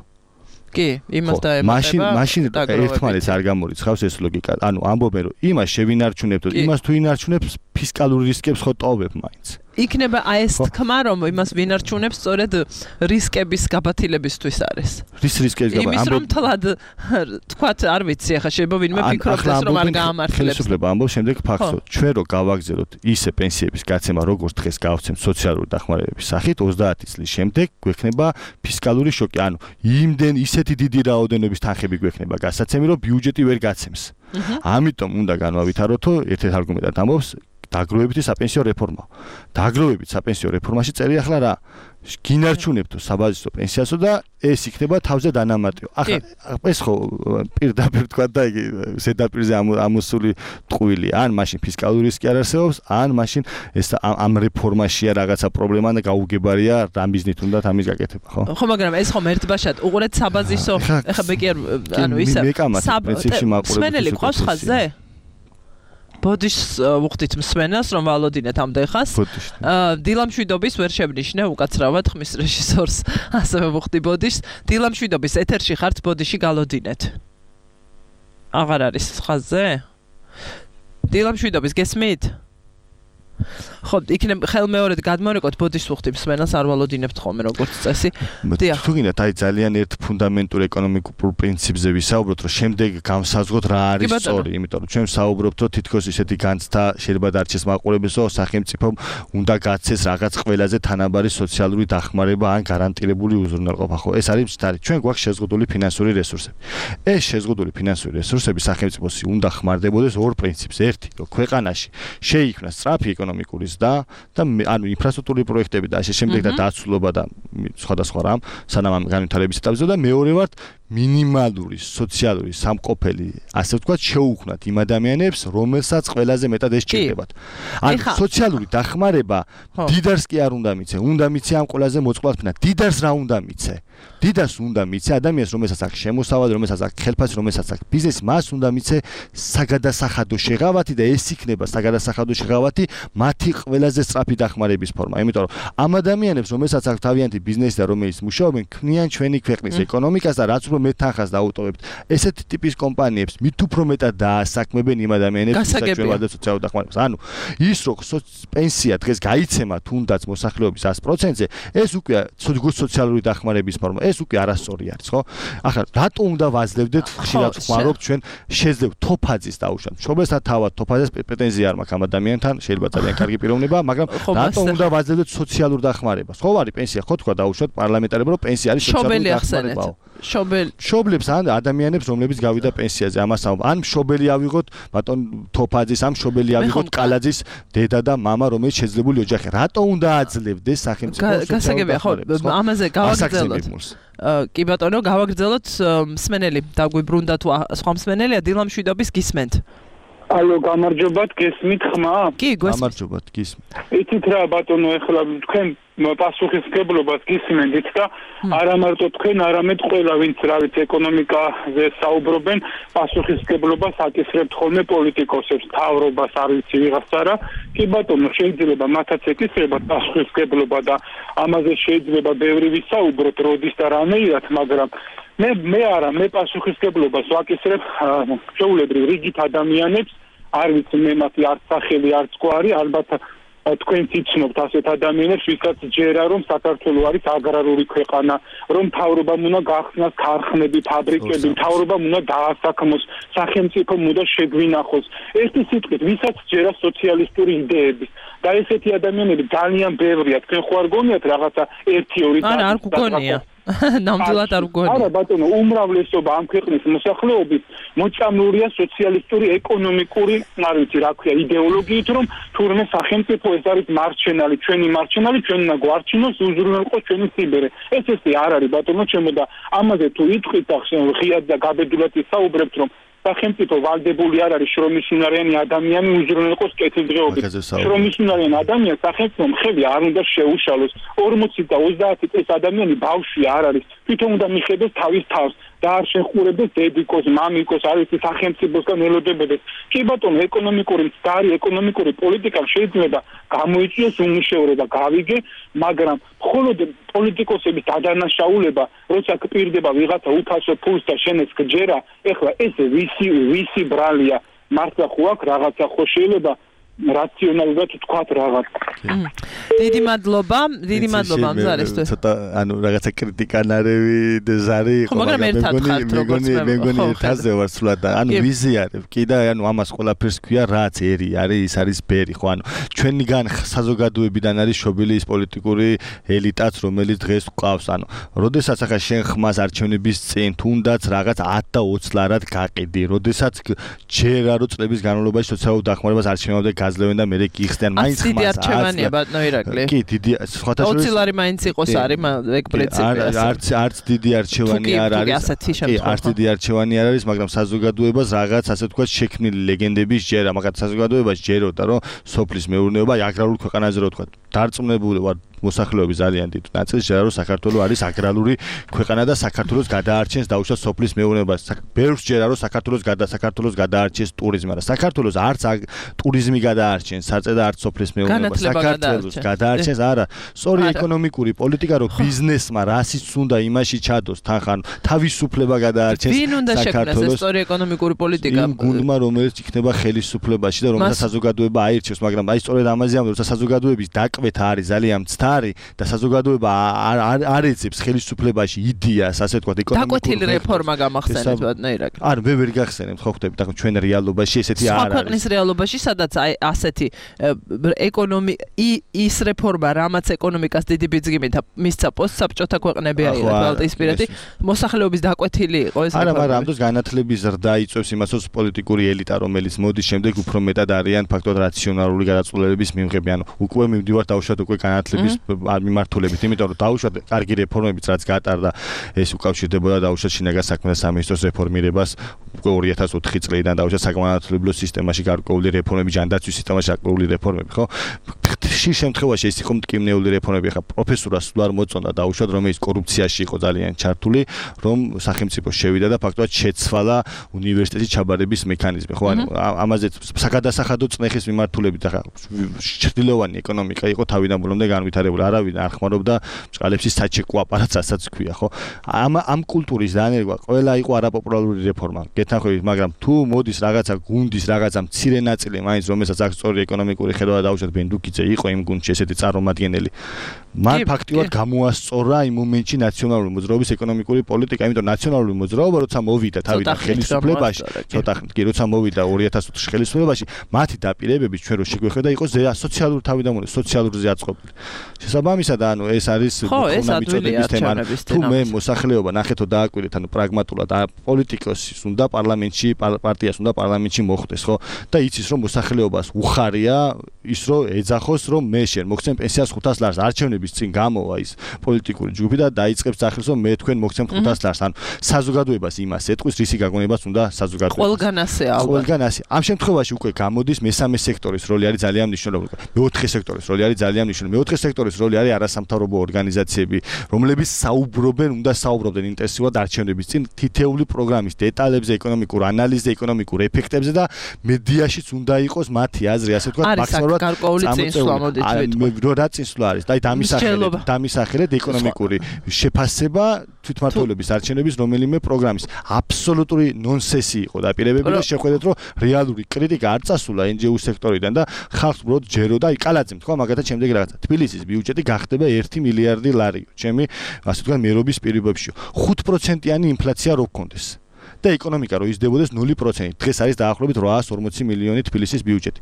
კი, იმას დაემატება. მაშინ მაშინ ერთმანეთს არ გამორიცხავს ეს ლოგიკა. ანუ ამბობენ რომ იმას შევინარჩუნებთ, იმას თუ ინარჩუნებს ფისკალური რისკებს ხო ტოვებ მაინც. იქნება აი ეს თქმა, რომ იმას ვინარჩუნებს სწორედ რისკების გაბათილებისთვის არის. რის რისკების გაბათილება? იმის რომ თლად თქვათ, არ ვიცი, ახლა შეიძლება ვინმე ფიქრობს რომ არ გაამართლებს. ხელისუფლება ამბობს შემდეგ ფაქტს, ჩვენ რო გავაგზავნოთ ისე პენსიების გაცემა, როგორც დღეს გავცემთ სოციალური დახმარებების სახით, ოცდაათი წლის შემდეგ გვექნება ფისკალური შოკი, ანუ იმდენ ისეთი დიდი რაოდენობის თანხები გვექნება გასაცემი, რომ ბიუჯეტი ვერ გაცემს. ამიტომ უნდა განვავითაროთო ერთ-ერთ არგუმენტად ამბობს დაგროვებითი საპენსიო რეფორმა. დაგროვებით საპენსიო რეფორმაში წერია ახლა რა? გინარჩუნებთო საბაზისო პენსიასო და ეს იქნება თავზე დანამატიო. ახლა ეს ხო პირდაპირ თქვა და იგი ზედაპირზე ამოსული ტყუილი, ან მაშინ ფისკალური რისკი არ არსებობს, ან მაშინ ეს ამ რეფორმაშია რაღაცა პრობლემა და გაუგებარია რა მიზნით უნდათ ამის გაკეთება, ხო? ხო, მაგრამ ეს ხომ ერთბაშად უყურეთ საბაზისო, ახლა მე კი არ ანუ ისე სმენელი ყავს ხაზზე? ბოდიშს ვუხდით მსმენელს, რომ ვალოდინეთ ამ დღეს. დილამშვიდობის ვერ შევნიშნე უკაცრავად ხმის რეჟისორს, ასევე ვუხდი ბოდიშს. დილამშვიდობის ეთერში ხართ, ბოდიში გალოდინეთ. აღარ არის ხაზზე? დილამშვიდობის გესმით? ხო, იქნებ ხელმეორედ გადმოვიკოთ ბოდიშს ვუხდი მსმენელს, არ ვალოდინებთ ხოლმე როგორც წესი. დიახ. თუ გინდათ აი ძალიან ერთ ფუნდამენტურ ეკონომიკურ პრინციპზე ვისაუბროთ, რომ შემდეგ გამსაზღვროთ რა არის სწორი, იმიტომ რომ ჩვენ ვსაუბრობთ, რომ თითქოს ისეთი განცდა შეიძლება დარჩეს მაყურებელს, რომ სახელმწიფომ უნდა გაცეს რაღაც ყველაზე თანაბარი სოციალური დახმარება ან გარანტირებული უზრუნველყოფა, ხო? ეს არის მცდარი. ჩვენ გვაქვს შეზღუდული ფინანსური რესურსები. ეს შეზღუდული ფინანსური რესურსები სახელმწიფოს უნდა ხმარდებოდეს ორ პრინციპს. ერთი, რომ ქვეყანაში შეიქმნას სწრაფი ეკონომიკური და და ანუ ინფრასტრუქტურული პროექტები და ასე შემდეგ და დაცულობა და სხვადასხვა რამ სანამ ამ განვითარების ეტაპზე და მეორე ვართ მინიმალური სოციალური სამყოფელი ასე ვთქვათ შეუქმნათ იმ ადამიანებს რომელსაც ყველაზე მეტად ეს ჭირდებათ. ანუ სოციალური დახმარება დიდარს კი არ უნდა მიცე, უნდა მიცე ამ ყველაზე მოწყვლად ფინა. დიდარს რა უნდა მიცე? დიდარს უნდა მიცე ადამიანს რომელსაც აქვს შემოსავალი, რომელსაც აქვს ხელფასი, რომელსაც აქვს ბიზნესი, მას უნდა მიცე საგადასახადო შეღავათი და ეს იქნება საგადასახადო შეღავათი მათი ყველაზე სწრაფი დახმარების ფორმა. იმიტომ რომ ამ ადამიანებს რომელსაც აქვს თავიანთი ბიზნესი და რომელიც მუშაობენ, ქმნიან ჩვენი ქვეყნის ეკონომიკას და რაც უფრო მეტ თანხას დაუტოვებთ ესეთი ტიპის კომპანიებს მით უფრო მეტად დაასაქმებენ იმ ადამიანებს, ვისაც ჩვენ ვადებთ სოციალურ დახმარებას. ანუ ის რომ პენსია დღეს გაიცემა თუნდაც მოსახლეობის ას პროცენტზე, ეს უკვე სოციალური დახმარების ფორმა, ეს უკვე არასწორი არის, ხო? ახლა რატო უნდა ვაძლევდეთ, ხშირად ვხმარობთ ჩვენ შეძლევ თოფაძის დაუშვათ. მშობელსთან თავად თოფაძეს პრეტენზია არ მაქვს ამ ადამიანთან, შეიძლება ძალიან კარგი პიროვნება, მაგრამ რატო უნდა ვაძლევდეთ სოციალურ დახმარებას? ხო არის პენსია, ხო თქვა დაუშვათ პარლამენტარებმა, რომ პენსია არის სოციალური დახმარება. შობელ შობლებს ან ადამიანებს რომლებიც გავიდა პენსიაზე ამას ამ ან შობელი ავიღოთ ბატონ თოფაძის ამ შობელი ავიღოთ კალაძის დედა და მამა რომელიც შეძლებული ოჯახი რატო უნდა აძლევდეს სახელმწიფო გასაგებია ხო ამაზე გავაგრძელოთ კი ბატონო გავაგრძელოთ მსმენელი დაგვიბრუნდა თუ სხვა მსმენელია დილამშვიდობის გისმენთ ალო გამარჯობათ გესმით ხმა კი გამარჯობათ გისმენთ იცით რა ბატონო ეხლა თქვენ პასუხისმგებლობას გისმენთ და არა მარტო თქვენ არამედ ყველა ვინც რა ვიცი ეკონომიკაზე საუბრობენ პასუხისმგებლობას აკისრებთ ხოლმე პოლიტიკოსებს თავრობას არ ვიცი ვიღაცა რა კი ბატონო შეიძლება მათაც ეკისრებათ პასუხისმგებლობა და ამაზე შეიძლება ბევრი ვისაუბროთ როდის და რანაირად მაგრამ მე მე არა მე პასუხისმგებლობას ვაკისრებ შეულებრივ რიგით ადამიანებს არ ვიცი მე მათი არც სახელი არც კვარი ალბათ თქვენ ცნობთ ასეთ ადამიანებს ვისაც ჯერა რომ საქართველოს არის აგრარული ქვეყანა რომ მთავრობამ უნდა გახსნას ქარხნები ფაბრიკები მთავრობამ უნდა დაასაქმოს სახელმწიფომ უნდა შეგვინახოს ერთი სიტყვით ვისაც ჯერა სოციალისტური იდეების და ესეთი ადამიანები ძალიან ბევრია თქვენ ხო არ გონიათ რაღაცა ერთი ორი არა არ გგონია ნამდვილად არ გგონია არა ბატონო უმრავლესობა ამ ქვეყნის მოსახლეობის მოწამლულია სოციალისტური ეკონომიკური არ ვიცი რა ქვია იდეოლოგიით რომ თურმე სახელმწიფო ეს არის მარჩენალი ჩვენი მარჩენალი ჩვენ უნდა გვარჩინოს უზრუნველყოს ჩვენი სიბერე ეს ესე არ არის ბატონო ჩემო და ამაზე თუ იტყვით ახლა ღიად და გაბედულად ისაუბრებთ რომ სახელმწიფო ვალდებული არ არის შრომისუნარიანი ადამიანი უზრუნველყოს კეთილდღეობით შრომისუნარიანი ადამიანი სახელმწიფომ ხელი არ უნდა შეუშალოს ორმოცი და ოცდაათი წლის ადამიანი ბავშვი არ არის თვითონ უნდა მიხედოს თავის თავს და არ შეხურებდეს დედიკოს, მამიკოს, არ ვიცი სახელმწიფოსგან ელოდებოდეს. კი ბატონო, ეკონომიკური მცდარი ეკონომიკური პოლიტიკა შეიძლება გამოიწვიოს უმუშევრობა, გავიგე, მაგრამ მხოლოდ პოლიტიკოსების დადანაშაულება, როცა გპირდება ვიღაცა უფასო ფულს და შენეს გჯერა, ეხლა ეს ვისი ვისი ბრალია, მართლა ხო აქვს რაღაცა ხო შეიძლება რაციონალურად თქვათ რაღაც. დიდი მადლობა, დიდი მადლობა ამ ზარისთვის. ცოტა ანუ რაღაცა კრიტიკანარევი ზარი იყო, მაგრამ მეგონი მეგონი ერთაზე ვარ სულად და ანუ ვიზიარებ კი და ანუ ამას ყველაფერს ქვია რაც ერი არის, ის არის ბერი, ხო, ანუ ჩვენიგან საზოგადოებიდან არის შობილი ის პოლიტიკური ელიტაც, რომელიც დღეს ყავს, ანუ როდესაც ახლა შენ ხმას არჩევნების წინ თუნდაც რაღაც ათ და ოცი ლარად გაყიდი, როდესაც ჯერა რო წლების განმავლობაში სოციალურ დახმარებას არჩევნებამდე გაძლევენ და მერე გიხსნიან, მაინც ხმას დიდი არჩევანია ბატონო ირაკლი. კი, დიდი სხვათა შორის ოცი ლარი მაინც იყოს არის ეგ პრინციპი. არც არც დიდი არჩევანი არ არის. კი, არც დიდი არჩევანი არ არის, მაგრამ საზოგადოებას რაღაც ასე თქვა შექმნილი ლეგენდების ჯერა, მაგათ საზოგადოებას ჯეროდა, რომ სოფლის მეურნეობა აგრარულ ქვეყანაზე რო თქვა, დარწმუნებული ვარ მოსახლეობის ძალიან დიდ ნაწილს ჯერა რომ საქართველოს არის აგრარული ქვეყანა და საქართველოს გადაარჩენს დაუშვათ სოფლის მეურნეობას. ბევრს ჯერა რომ საქართველოს გადა საქართველოს გადაარჩენს ტურიზმი, მაგრამ საქართველოს არც ტურიზმი გადაარჩენს, საწე და არც სოფლის მეურნეობა. საქართველოს გადაარჩენს არა, სწორი ეკონომიკური პოლიტიკა რომ ბიზნესმა რასიც უნდა იმაში ჩადოს, თან ხან თავისუფლება გადაარჩენს საქართველოს. ვინ უნდა შექმნას ეს სწორი ეკონომიკური პოლიტიკა? იმ გუნდმა რომელიც იქნება ხელისუფლებაში და რომელსაც საზოგადოება აირჩევს, მაგრამ აი სწორედ ამაზე ამ როცა საზოგადოების დაკვეთა არის ძალიან მცდარი და საზოგადოება არ ეძებს ხელისუფლებაში იდეას, ასე ვთქვათ, ეკონომიკური დაკვეთილი რეფორმა გამახსენეთ ბატონო ირაკლი. არ მე ვერ გახსენებ, ხო ხვდები, და ჩვენ რეალობაში ესეთი არ არის. სხვა ქვეყნის რეალობაში სადაც აი ასეთი ეკონომი ის რეფორმა, რამაც ეკონომიკას დიდი ბიძგიმით მისცა პოსტსაბჭოთა ქვეყნები აიღეს ბალტიისპირეთი, მოსახლეობის დაკვეთილი იყო ეს. არა, მაგრამ ამ დროს განათლების ზრდა იწვევს იმას, რომ პოლიტიკური ელიტა, რომელიც მოდის შემდეგ უფრო მეტად არიან ფაქტობრივად რაციონალური გადაწყვეტილების მიმღები, ანუ უკვე მივდივართ დაუშვათ უკვე განათლების მიმართულებით, იმიტომ რომ დაუშვათ კარგი რეფორმებიც რაც გატარდა, ეს უკავშირდებოდა დაუშვათ შინაგან საქმეთა სამინისტროს რეფორმირებას უკვე ორი ათას ოთხი წლიდან დაუშვათ საგანმანათლებლო სისტემაში გარკვეული რეფორმები, ჯანდაცვის სისტემაში გარკვეული რეფორმები, ხო? ხშირ შემთხვევაში ეს იყო მტკივნეული რეფორმები, ხა პროფესორას სულ არ მოწონდა დაუშვათ, რომელიც კორუფციაში იყო ძალიან ჩართული, რომ სახელმწიფო შევიდა და ფაქტობრივად შეცვალა უნივერსიტეტის ჩაბარების მექანიზმი, ხო? ანუ ამაზე საგადასახადო წნეხის მიმართულებით ახლა ჩრდილოვანი ეკონომიკა იყო თავიდან ბოლომდე განვითარებული, არავინ არ ხმარობდა ბჭყალებში საჩეკო აპარატს, ასაც ქვია, ხო? ამ ამ კულტურის დანერგვა ყველა იყო არაპოპულარული რეფორმა. გეთანხმებით, მაგრამ თუ მოდის რაღაცა გუნდის რაღაცა მცირე ნაწილი, მაინც რომელსაც აქვს სწორი ეკონომიკური ხედვა და დაუშვათ ბენდუკიძე იყო იმ გუნდში ესეთი წარმომადგენელი. მან ფაქტიურად გამოასწორა იმ მომენტში ნაციონალური მოძრაობის ეკონომიკური პოლიტიკა, იმიტომ ნაციონალური მოძრაობა როცა მოვიდა თავიდან ხელისუფლებაში, ცოტა კი როცა მოვიდა ორი ათას ოთხში ხელისუფლებაში, მათი დაპირებები ჩვენ რო შეგვეხედა იყო სოციალური თავიდან მოდი სოციალური ზეაწყობილი. შესაბამისად, ანუ ეს არის მოხუნა მიწოდების თემა. თუ მე მოსახლეობა ნახეთო დააკვირდეთ, ანუ პრაგმატულად პოლიტიკოსის უნდა პარლამენტში პარტიას უნდა პარლამენტში მოხვდეს, ხო? და იცის რომ მოსახლეობას უხარია ის რომ ეძახოს რომ მე შენ მოგცემ პენსიას ხუთას ლარს, არჩევნების წინ გამოვა ის პოლიტიკური ჯგუფი და დაიწყებს ძახილს რომ მე თქვენ მოგცემ ხუთას ლარს, ანუ საზოგადოებას იმას ეტყვის, რისი გაგონებას უნდა საზოგადოებას. ყველგან ასე ალბათ. ყველგან ასე. ამ შემთხვევაში უკვე გამოდის მესამე სექტორის როლი არის ძალიან მნიშვნელოვანი. მეოთხე სექტორის როლი არის ძალიან მნიშვნელოვანი. მეოთხე სექტორის როლი არის არასამთავრობო ორგანიზაციები, რომლებიც საუბრობენ, უნდა საუბრობდნენ ინტენსიურად არჩევნების წინ თითეული პროგრამის დეტალებზე, ეკონომიკურ ანალიზზე, ეკონომიკურ ეფექტებზე და მედიაშიც უნდა იყოს მათი აზრი, ასე ვთქვათ, მაქსიმალურად გარკვეული წინსვლა მოდით ვიტყვი. რა წინსვლა არის? და დამისახელეთ, დამისახელეთ ეკონომიკური შეფასება თვითმმართველობის არჩევნების რომელიმე პროგრამის. აბსოლუტური ნონსენსი იყო დაპირებები და შეხვედრეთ, რომ რეალური კრიტიკა არ წასულა εν ჯი ო სექტორიდან და ხალხს უბრალოდ ჯეროდა, აი კალაძემ თქვა მაგათაც შემდეგი რაღაცა. თბილისის ბიუჯეტი გახდება ერთი მილიარდი ლარი. ჩემი ასე ვთქვათ მერობის პირობებში. ხუთ პროცენტიანი ინფლაცია რო გქონდეს. და ეკონომიკა რო იზრდებოდეს ნული პროცენტით. დღეს არის დაახლოებით ოთხას ორმოცი მილიონი თბილისის ბიუჯეტი.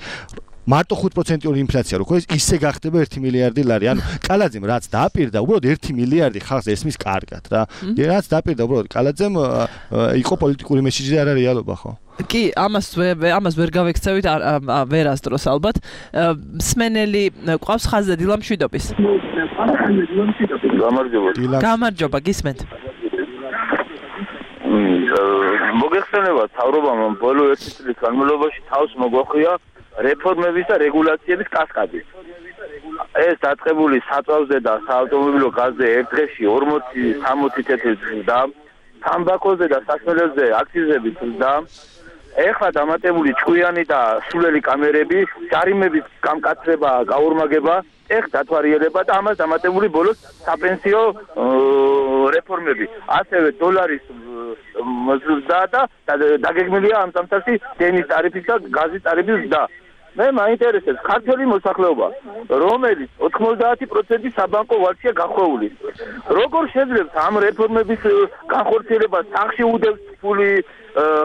მარტო ხუთ პროცენტიანი ინფლაცია რო ქონდეს, ისე გახდება ერთი მილიარდი ლარი. ანუ კალაძემ რაც დააპირდა, უბრალოდ ერთი მილიარდი ხალხს ესმის კარგად რა. რაც დააპირდა უბრალოდ კალაძემ იყო პოლიტიკური მესიჯი და არა რეალობა, ხო? კი, ამას ამას ვერ გავექცევით, ვერასდროს ალბათ. სმენელი ყავს ხაზზე დილამშვიდობის. გამარჯობა. გამარჯობა, გისმენთ. მოგეხსენება თავრობამ ბოლო ერთი წლის განმავლობაში თავს მოგვახვია რეფორმების და რეგულაციების კასკადი. ეს დაწყებული საწვავზე და საავტომობილო გაზზე ერთ დღეში ორმოცი სამოცი წუთი ზრდა, თამბაქოზე და სასმელებზე აქციზების ზრდა, ეხლა დამატებული ჭკვიანი და სულელი კამერები, ჯარიმების გამკაცრება, გაორმაგება, ეხ დათვალიერება და ამას დამატებული ბოლოს საპენსიო რეფორმები. ასევე დოლარის ზრდა და დაგეგმილია ამ სამსახის დენის ტარიფის და გაზის ტარიფის ზრდა. მე მაინტერესებს ქართული მოსახლეობა, რომელიც ოთხმოცდაათი პროცენტი საბანკო ვარშია გახვეული. როგორ შეიძლება ამ რეფორმების განხორციელებას სახში უდევს ფული,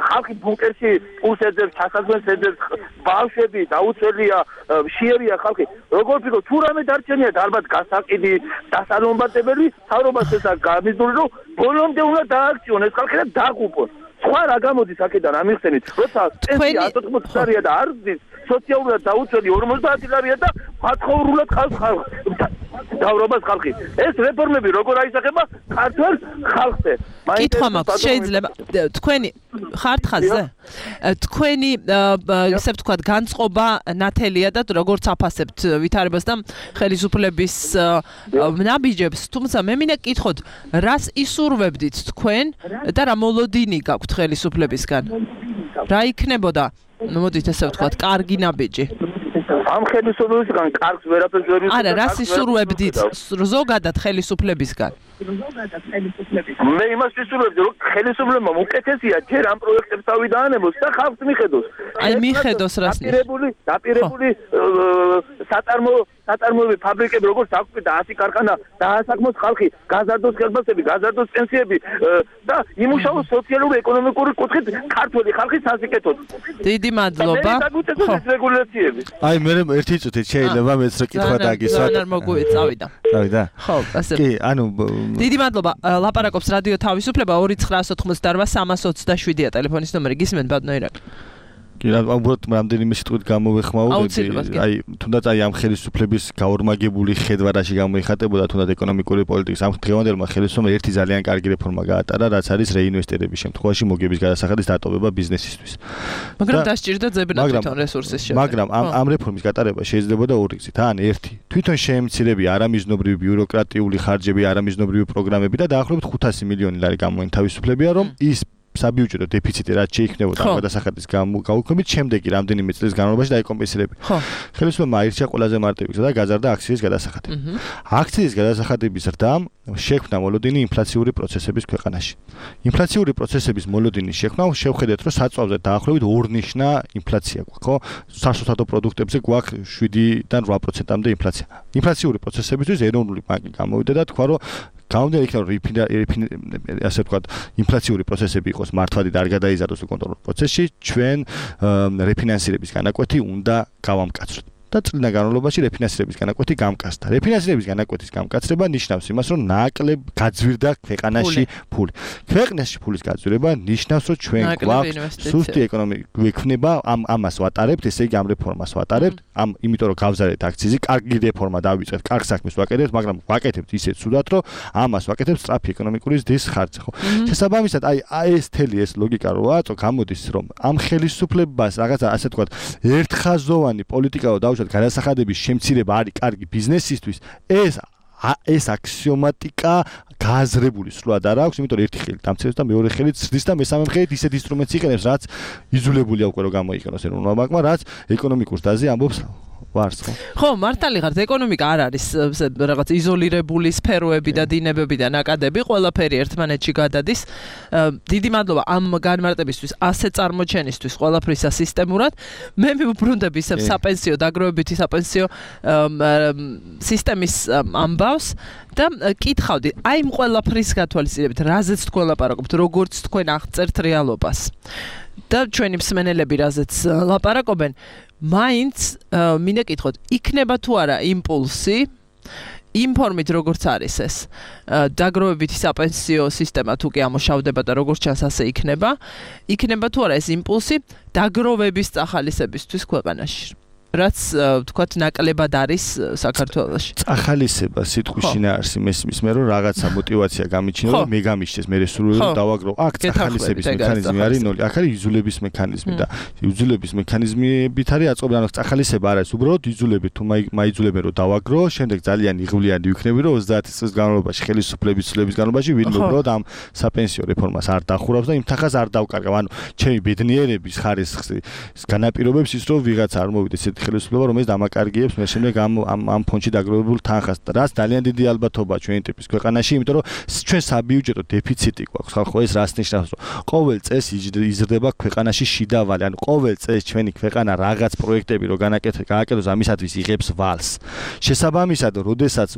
ხალხი ბუნკერში პულს ეძებს, ჩასაძვენს ეძებს, ბავშვები დაუცველია, მშიერია ხალხი. როგორ ფიქრობ, თუ რამე დარჩენიათ ალბათ გასაყიდი, დასალომბატებელი, თავრობას ესა გამიზული, რომ ბოლომდე უნდა დააქციონ ეს ხალხი და დააყუპონ. სხვა რა გამოდის აქედან ამიხსენით, როცა პენსია ათოთხმოცი ლარია და არ ზის, სოციალურად დაუცველი ორმოცდაათი ლარია და მაცხოვრულად ხალხს დავრობას ხალხი. ეს რეფორმები როგორ აისახება ქართულ ხალხზე? კითხვა მაქვს, შეიძლება თქვენი ხართ ხაზზე? თქვენი ესე ვთქვათ განწყობა ნათელია და როგორც აფასებთ ვითარებას და ხელისუფლების ნაბიჯებს, თუმცა მე მინდა კითხოთ, რას ისურვებდით თქვენ და რა მოლოდინი გაქვთ ხელისუფლებისგან? რა იქნებოდა, მოდით ესე ვთქვათ, კარგი ნაბიჯი? ამ ხელისუფლებისგან კარგს ვერაფერს ვერ არა, რას ისურვებდით ზოგადად ხელისუფლებისგან? მე იმას ვისურვებდი, რომ ხელისუფლებამ უკეთესია ჯერ ამ პროექტებს თავი დაანებოს და ხალხს მიხედოს. აი მიხედოს რას ნიშნავს? დაპირებული, დაპირებული საწარმო საწარმოები ფაბრიკები როგორც აკვირდა ათი ქარხანა დაასაქმოს ხალხი, გაზარდოს ხელფასები, გაზარდოს პენსიები და იმუშაოს სოციალური ეკონომიკური კუთხით ქართული ხალხის სასიკეთოდ. დიდი მადლობა. რეგულაციები. აი მე ერთი წუთით შეიძლება მეც რა კითხვა დაგისვათ. არ მოგვიწევი, წავიდა. წავიდა. ხო, ასე. კი, ანუ დიდი მადლობა. ლაპარაკობს რადიო თავისუფლება ორი ცხრა ოცდაოთხმოცდაოთხ სამას ოცდაშვიდია ტელეფონის ნომერი. გისმენთ ბატონო ირაკლი? კი, უბრალოდ რამდენიმე სიტყვით გამოვეხმაურები. აი, თუნდაც აი ამ ხელისუფლების გაორმაგებული ხედვა რაში გამოიხატებოდა, თუნდაც ეკონომიკური პოლიტიკის ამ დღევანდელმა ხელისუფლებამ ერთი ძალიან კარგი რეფორმა გაატარა, რაც არის რეინვესტირების შემთხვევაში მოგების გადასახადის დატოვება ბიზნესისთვის. მაგრამ დასჭირდა ძებნა თვითონ რესურსის შედეგად. მაგრამ ამ ამ რეფორმის გატარება შეიძლებოდა ორი გზით. ან ერთი, თვითონ შეემცირებია არამიზნობრივი ბიუროკრატიული ხარჯები, არამიზნობრივი პროგრამები და დაახლოებით ხუთასი მილიონი ლარი გამოინთავისუფლებია, რომ ის საბიუჯეტო დეფიციტი რაც შეიქმნებოდა ამ გადასახადის გაუქმებით, შემდეგი რამდენიმე წლის განმავლობაში დაიკომპენსირებია. ხელისუფლებამ აირჩია ყველაზე მარტივი გზა და გაზარდა აქციის გადასახადები. აქციის გადასახადების ზრდამ შექმნა მოლოდინი ინფლაციური პროცესების ქვეყანაში. ინფლაციური პროცესების მოლოდინის შექმნა შევხედეთ, რომ საწვავზე დაახლოებით ორნიშნა ინფლაცია გვაქვს, ხო? საშუალო პროდუქტებზე გვაქვს შვიდიდან რვა პროცენტამდე ინფლაცია. ინფლაციური პროცესებისთვის ეროვნული ბანკი გამოვიდა და თქვა, რომ გამოდიან იქნება ასე ვთქვათ ინფლაციური პროცესები იყოს მართლად და არ გადაიზარდოს კონტროლ პროცესში, ჩვენ რეფინანსირების განაკვეთი უნდა გავამკაცროთ. და წლიდან განმავლობაში რეფინანსირების განაკვეთი გამკაცდა. რეფინანსირების განაკვეთის გამკაცრება ნიშნავს იმას, რომ ნაკლებ გაძვირდა ქვეყანაში ფული. ქვეყანაში ფულის გაძვირება ნიშნავს, რომ ჩვენ გვაქვს სუსტი ეკონომიკა გვექნება, ამ ამას ვატარებთ, ესე იგი ამ რეფორმას ვატარებთ, ამ იმიტომ რომ გავზარეთ აქციზი, კარგი რეფორმა დავიწყეთ, კარგ საქმეს ვაკეთებთ, მაგრამ ვაკეთებთ ისეთ სუდად, რომ ამას ვაკეთებთ სწრაფი ეკონომიკური ზრდის ხარჯზე, ხო? შესაბამისად, აი ეს თელი ეს ლოგიკა როა, გამოდის, რომ ამ ხელისუფლებას რაღაცა ასე ვთქვათ, ერთხაზოვანი პოლიტიკაო დავუშვათ გადასახადების შემცირება არის კარგი ბიზნესისთვის, ეს ეს აქსიომატიკა გააზრებული სრულად არ აქვს, იმიტომ რომ ერთი ხელი დამცირებს და მეორე ხელი ზრდის და მესამე ხელით ისეთ ინსტრუმენტს იყენებს, რაც იზოლებულია უკვე რომ გამოიყენოს ეროვნულმა ბანკმა, რაც ეკონომიკურ ზრდაზე ამბობს ვარს, ხო? ხო, მართალი ხართ, ეკონომიკა არ არის რაღაც იზოლირებული სფეროები და დინებები და ნაკადები, ყველაფერი ერთმანეთში გადადის. დიდი მადლობა ამ განმარტებისთვის, ასე წარმოჩენისთვის, ყველაფრისა სისტემურად. მე მივუბრუნდები ისევ საპენსიო დაგროვებითი საპენსიო სისტემის ამბავს და კითხავდი, აი ამ ყველაფრის გათვალისწინებით, რაზეც თქვენ ლაპარაკობთ, როგორც თქვენ აღწერთ რეალობას. და ჩვენი მსმენელები რაზეც ლაპარაკობენ, მაინც მინდა კითხოთ, იქნება თუ არა იმპულსი იმ ფორმით როგორც არის ეს დაგროვებითი საპენსიო სისტემა თუ კი ამოშავდება და როგორც ჩანს ასე იქნება, იქნება თუ არა ეს იმპულსი დაგროვების წახალისებისთვის ქვეყანაში. რაც ვთქვათ ნაკლებად არის საქართველოში. წახალისება სიტყვის შინაარსი მესმის მე რომ რაღაცა мотиваცია გამიჩნია რომ მე გამიჩნდეს მე სრულიად დავაგრო. აქ წახალისების მექანიზმი არის ნოლი. აქ არის იზოლების მექანიზმი და იზოლების მექანიზმებით არის აწყობილი. ანუ წახალისება არის უბრალოდ იზოლები თუ მაიძულებენ რომ დავაგრო, შემდეგ ძალიან იღვლიანი ვიქნები რომ ოცდაათი წლის განმავლობაში ხელისუფლების წლების განმავლობაში ვინმე უბრალოდ ამ საპენსიო რეფორმას არ დახურავს და იმ თხას არ დავკარგავ. ანუ ჩემი ბედნიერების ხარისხი განაპირობებს ის რომ ვიღაცა არ მოვიდეს ესეთ ხელისუფლება, რომელიც დამაკარგიებს მე შემდეგ ამ ამ ფონდში დაგროვებულ თანხას. რაც ძალიან დიდი ალბათობაა ჩვენი ტიპის ქვეყანაში, იმიტომ რომ ჩვენ საბიუჯეტო დეფიციტი გვაქვს. ხალხო ეს რას ნიშნავს, რომ ყოველ წელს იზრდება ქვეყანაში შიდა ვალი, ანუ ყოველ წელს ჩვენი ქვეყანა რაღაც პროექტები რო გააკეთოს ამისათვის იღებს ვალს. შესაბამისად, როდესაც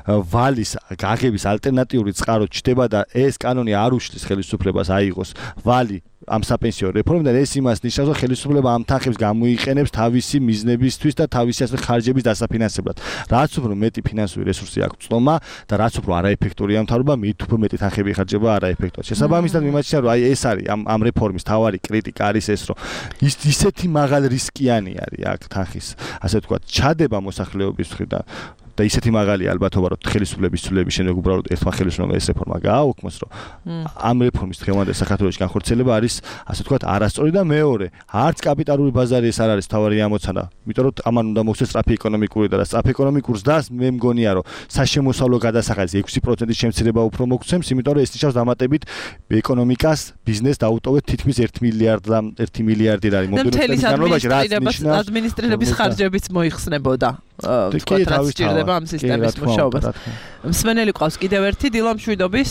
ვალის გაღების ალტერნატიული წყარო ჩდება და ეს კანონი არ უშლის ხელისუფლებას აიღოს ვალი ამ საპენსიო რეფორმიდან, ეს იმას ნიშნავს, რომ ხელისუფლება ამ თანხებს გამოიყენებს თავისი მიზნებისთვის და თავისი ასე ხარჯების დასაფინანსებლად. რაც უფრო მეტი ფინანსური რესურსი აქვს წლომა და რაც უფრო არაეფექტურია მთავრობა, მით უფრო მეტი თანხები იხარჯება არაეფექტურად. შესაბამისად, მიმაჩნია, რომ აი ეს არის ამ ამ რეფორმის თავარი კრიტიკა არის ეს, რომ ის ისეთი მაღალ რისკიანი არის აქ თანხის, ასე ვთქვათ, ჩადება მოსახლეობის მხრიდან და ისეთი მაღალი ალბათობა, რომ ხელისუფლების ცვლილების შემდეგ უბრალოდ ერთმა ხელისუფლებამ ეს რეფორმა გააუქმოს, რომ ამ რეფორმის დღევანდელ საქართველოში განხორციელება არის, ასე ვთქვათ, არასწორი და მეორე, არც კაპიტალური ბაზარი ეს არ არის თავარი ამოცანა, იმიტომ რომ ამან უნდა მოხდეს სწრაფი ეკონომიკური და სწრაფი ეკონომიკურს და მე მგონია, რომ საშემოსავლო გადასახადის ექვსი პროცენტის შემცირება უფრო მოგცემს, იმიტომ რომ ეს ნიშნავს დამატებით ეკონომიკას, ბიზნესს დაუტოვეთ თითქმის ერთი მილიარდი ერთი მილიარდი არის მომდევნო განმავლობაში, რაც ნიშნავს ადმინისტრირების ხარჯებიც მოიხსნებოდა. თქვათ რაც სჭირდება ამ სისტემის მუშაობას. მსმენელი ყავს კიდევ ერთი დილამშვიდობის.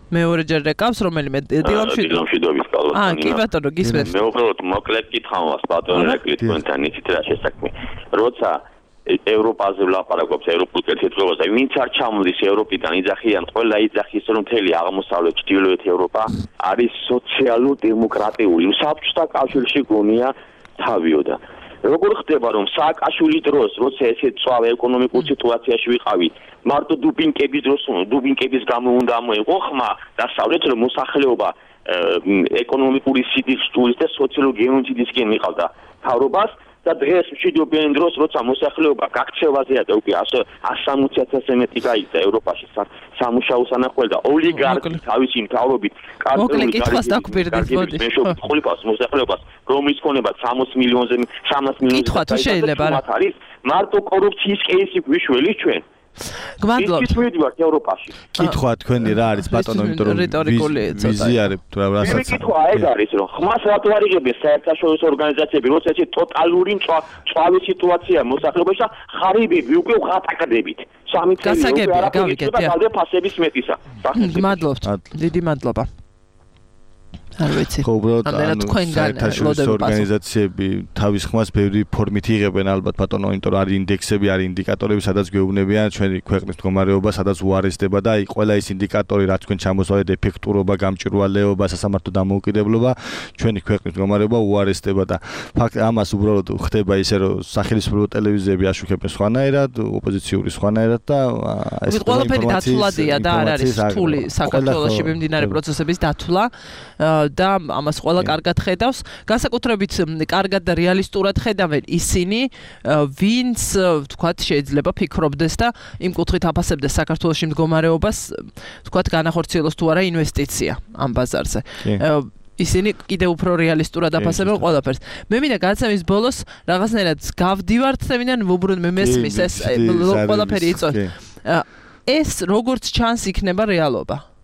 მეორე ჯერ რეკავს რომელიმე დილამშვიდობის. დილამშვიდობის ყავს. აა, კი ბატონო, გისმენთ. მე უბრალოდ მოკლედ კითხავ вас ბატონო რეკლი თქვენთან იცით რა შესაქმე. როცა ევროპაზე ვლაპარაკობთ ევროპულ კეთილდღეობაზე, ვინც არ ჩამოდის ევროპიდან იძახიან, ყველა იძახის რომ მთელი აღმოსავლეთ ჩრდილოეთ ევროპა არის სოციალურ-დემოკრატიული. საბჭოთა კავშირში გონია თავიოდა. როგორ ხდება რომ სააკაშვილის დროს, როცა ესე წვავ ეკონომიკურ სიტუაციაში ვიყავით, მარტო დუპინკების დროს, დუპინკების გამო უნდა მოეყო ხმა დასავლეთ რომ მოსახლეობა ეკონომიკური სიტუაციის და სოციალური გენოციდისკენ მიყავდა თავრობას და დღეს მშვიდობიან დროს, როცა მოსახლეობა გაქცევაზეა და უკვე ასო სამოცი ათასზე მეტი გაიქცა ევროპაში სამუშაო სანახავი და ოლიგარქი თავისი მთავრობით კარგული კითხვას დაგვირდით მოდი. ხულიფას მოსახლეობას რომლის ქონება სამოცი მილიონზე სამას მილიონზე კითხვა თუ შეიძლება არის მარტო კორუფციის კეისი გვიშველი ჩვენ. გმადლობთ. ის მივიდივართ ევროპაში. კითხვა თქვენი რა არის ბატონო, იმიტომ რომ ვიზიარებ თუ რა რასაც. კითხვა ეს არის რომ ხმას რატო არ იღებენ საერთაშორისო ორგანიზაციები, როცა ეს ტოტალური წვავი სიტუაცია მოსახლეობაში და ხარიბები უკვე ვღატაკდებით. სამი წელი უკვე არ აღიქმება ფასების მეტისა. გმადლობთ. დიდი მადლობა. არ ვიცი. ხო, უბრალოდ საერთაშორისო ორგანიზაციები თავის ხმას ბევრი ფორმით იღებენ ალბათ ბატონო, იმიტომ რომ არის ინდექსები, არის ინდიკატორები, სადაც გვეუბნებიან ჩვენი ქვეყნის მდგომარეობა, სადაც უარესდება და აი ყველა ის ინდიკატორი, რაც თქვენ ჩამოსვავთ, ეფექტურობა, გამჭვირვალეობა, სასამართლო დამოუკიდებლობა, ჩვენი ქვეყნის მდგომარეობა უარესდება და ფაქტ ამას უბრალოდ ხდება ისე, რომ სახელმწიფო ტელევიზიები აშუქებენ სხვანაირად, ოპოზიციური სხვანაირად და ეს ყველაფერი დათვლადია და არ არის რთული საქართველოში მიმდინარე პროცესების დათვლა. და ამას ყველა კარგად ხედავს. განსაკუთრებით კარგად და რეალისტურად ხედავენ ისინი, ვინც თქვათ შეიძლება ფიქრობდეს და იმ კუთხით აფასებდეს საქართველოს მდგომარეობას, თქვათ განახორციელოს თუ არა ინვესტიცია ამ ბაზარზე. ისინი კიდევ უფრო რეალისტურად აფასებენ ყველაფერს. მე მინდა გადაცემის ბოლოს რაღაცნაირად გავდივართ და მინდა ვუბრუნ მე მესმის ეს ყველაფერი იწოს. ეს როგორც ჩანს იქნება რეალობა.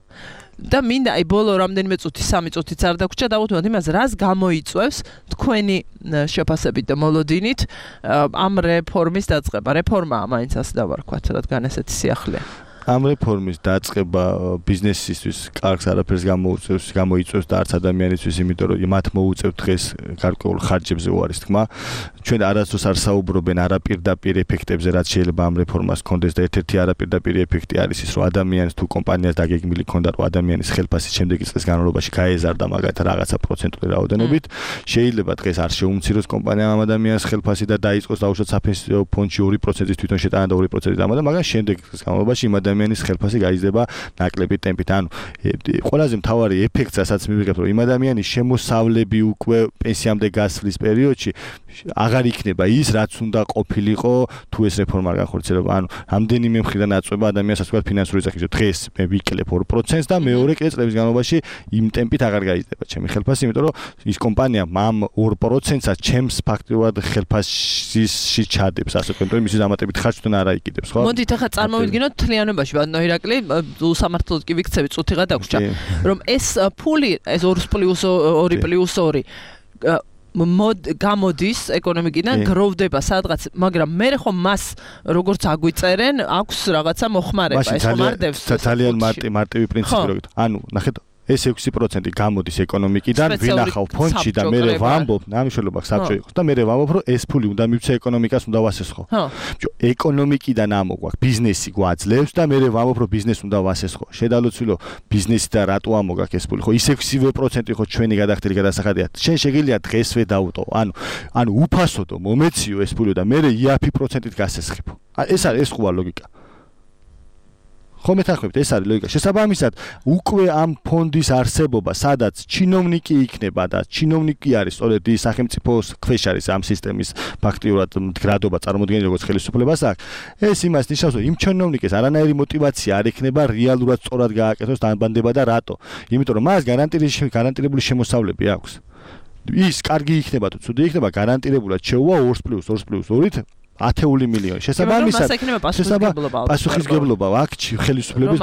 და მინდა აი ბოლო რამდენიმე წუთი, სამი წუთიც არ დაგვრჩა დავუთმოთ იმას, რას გამოიწვევს თქვენი შეფასებით და მოლოდინით ამ რეფორმის დაწყება. რეფორმაა მაინც ასე დავარქვათ, რადგან ესეთი სიახლეა. ამ რეფორმის დაწყება ბიზნესისთვის კარგს არაფერს გამოუწევს, გამოიწვევს და არც ადამიანისთვის, იმიტომ რომ მათ მოუწევთ დღეს გარკვეულ ხარჯებზე უარის თქმა. ჩვენ არასდროს არ საუბრობენ არაპირდაპირ ეფექტებზე, რაც შეიძლება ამ რეფორმას ჰქონდეს და ერთ-ერთი არაპირდაპირ ეფექტი არის ის, რომ ადამიანს თუ კომპანიას დაგეგმილი ჰქონდა, რომ ადამიანის ხელფასი შემდეგი წლის განმავლობაში გაეზარდა მაგალითად რაღაცა პროცენტული რაოდენობით, შეიძლება დღეს არ შეუმციროს კომპანიამ ამ ადამიანის ხელფასი და დაიწყოს დაუშვათ საფინანსო ფონდში ორი პროცენტის თვითონ შეტანა და ორი პროცენტის დამატება, მაგრამ შემდეგი წლის განმავლობაში იმ ადამიანის ხელფასი გაიზრდება ნაკლები ტემპით. ანუ ყველაზე მთავარი ეფექტი, რასაც მივიღებთ, რომ იმ ადამიანის შემოსავლები უკვე პენსიამდე გასვლის პერიოდში აღარ იქნება ის, რაც უნდა ყოფილიყო თუ ეს რეფორმა არ განხორციელება. ანუ რამდენიმე მხრიდან აწვება ადამიანს ასე ვთქვათ ფინანსური ზაქისო. დღეს მე ვიკლებ ორ პროცენტს და მეორე კიდე წლების განმავლობაში იმ ტემპით აღარ გაიზრდება ჩემი ხელფასი, იმიტომ რომ ის კომპანია ამ ორ პროცენტსაც ჩემს ფაქტობრივად ხელფასში ჩადებს, ასე ვთქვათ, რომ მისი დამატებით ხარჯთან არ აიკიდებს, ხო? მოდით ახლა წარმოვიდგინოთ თლიანობაში ბატონო ირაკლი, უსამართლოდ კი ვიქცევი წუთიღა დაგვრჩა, რომ ეს ფული, ეს ორი პლუს ორი პლუს ორი გამოდის ეკონომიკიდან გროვდება სადღაც, მაგრამ მე ხომ მას როგორც აგვიწერენ, აქვს რაღაცა მოხმარება, ეს ხომ არ დევს. ძალიან მარტივი პრინციპი როგორ. ანუ ნახეთ ეს ექვსი პროცენტი გამოდის ეკონომიკიდან, ვინახავ ფონდში და მე ვამბობ, ნამუშევრობა საბჭო იყოს და მე ვამბობ, რომ ეს ფული უნდა მივცე ეკონომიკას, უნდა ვასესხო. ბიჭო, ეკონომიკიდან ამოგვაქვს, ბიზნესი გვაძლევს და მე ვამბობ, რომ ბიზნესს უნდა ვასესხო. შედალოცვილო, ბიზნესი და რატო ამოგვაქვს ეს ფული? ხო, ის ექვსი პროცენტი ხო ჩვენი გადახდილი გადასახადია. შენ შეგიძლია დღესვე დავუტო. ანუ ანუ უფასოდო მომეციო ეს ფული და მე იაფი პროცენტით გასესხებო. ეს არის ეს ხო არის ლოგიკა. ხო მეთანხმებით, ეს არის ლოგიკა. შესაბამისად, უკვე ამ ფონდის არსებობა, სადაც ჩინოვნიკი იქნება და ჩინოვნიკი არის, სწორედ ის სახელმწიფოს ქვეშ არის ამ სისტემის ფაქტიურად მდგრადობა წარმოქმნილი, როგორც ხელისუფლებას აქვს. ეს იმას ნიშნავს, რომ იმ ჩინოვნიკეს არანაირი мотиваცია არ ექნება რეალურად სწორად გააკეთოს დამბანდება და რატო? იმიტომ რომ მას გარანტირებული გარანტირებული შემოსავლები აქვს. ის კარგი იქნება თუ ცუდი იქნება, გარანტირებულად შეუვა ორს პლუს ორს პლუს ორით ათეული მილიონი. შესაბამისად, პასუხისგებლობა აქვს ხელისუფლების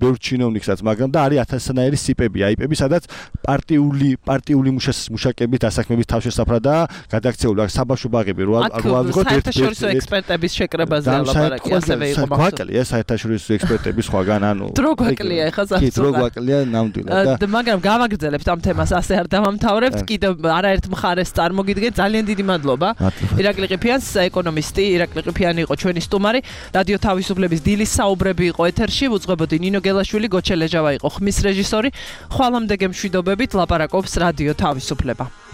ბევრ ჩინოვნიკსაც, მაგრამ და არის ათასნაირი სიპები, აიპები, სადაც პარტიული პარტიული მუშაკების დასაქმების თავშესაფრადაა გადაქცეული, აქ საბავშვო ბაღები რო ავიღოთ საერთაშორისო ექსპერტების შეკრებაზე ლაპარაკი ასევე იყო მაგ გვაკლია საერთაშორისო ექსპერტების სხვაგან, ანუ დრო გვაკლია ეხლა კი დრო გვაკლია ნამდვილად და მაგრამ გავაგრძელებთ ამ თემას, ასე არ დავამთავრებთ, კიდევ არაერთ მხარეს წარმოგიდგენთ. ძალიან დიდი მადლობა. ირაკლი ყიფიანს ეკონომისტი ირაკლი ყიფიანი იყო ჩვენი სტუმარი. რადიო თავისუფლების დილის საუბრები იყო ეთერში. უძღვებოდი ნინო გელაშვილი, გოჩე ლეჟავა იყო ხმის რეჟისორი. ხვალამდე გემშვიდობებით ლაპარაკობს რადიო თავისუფლება.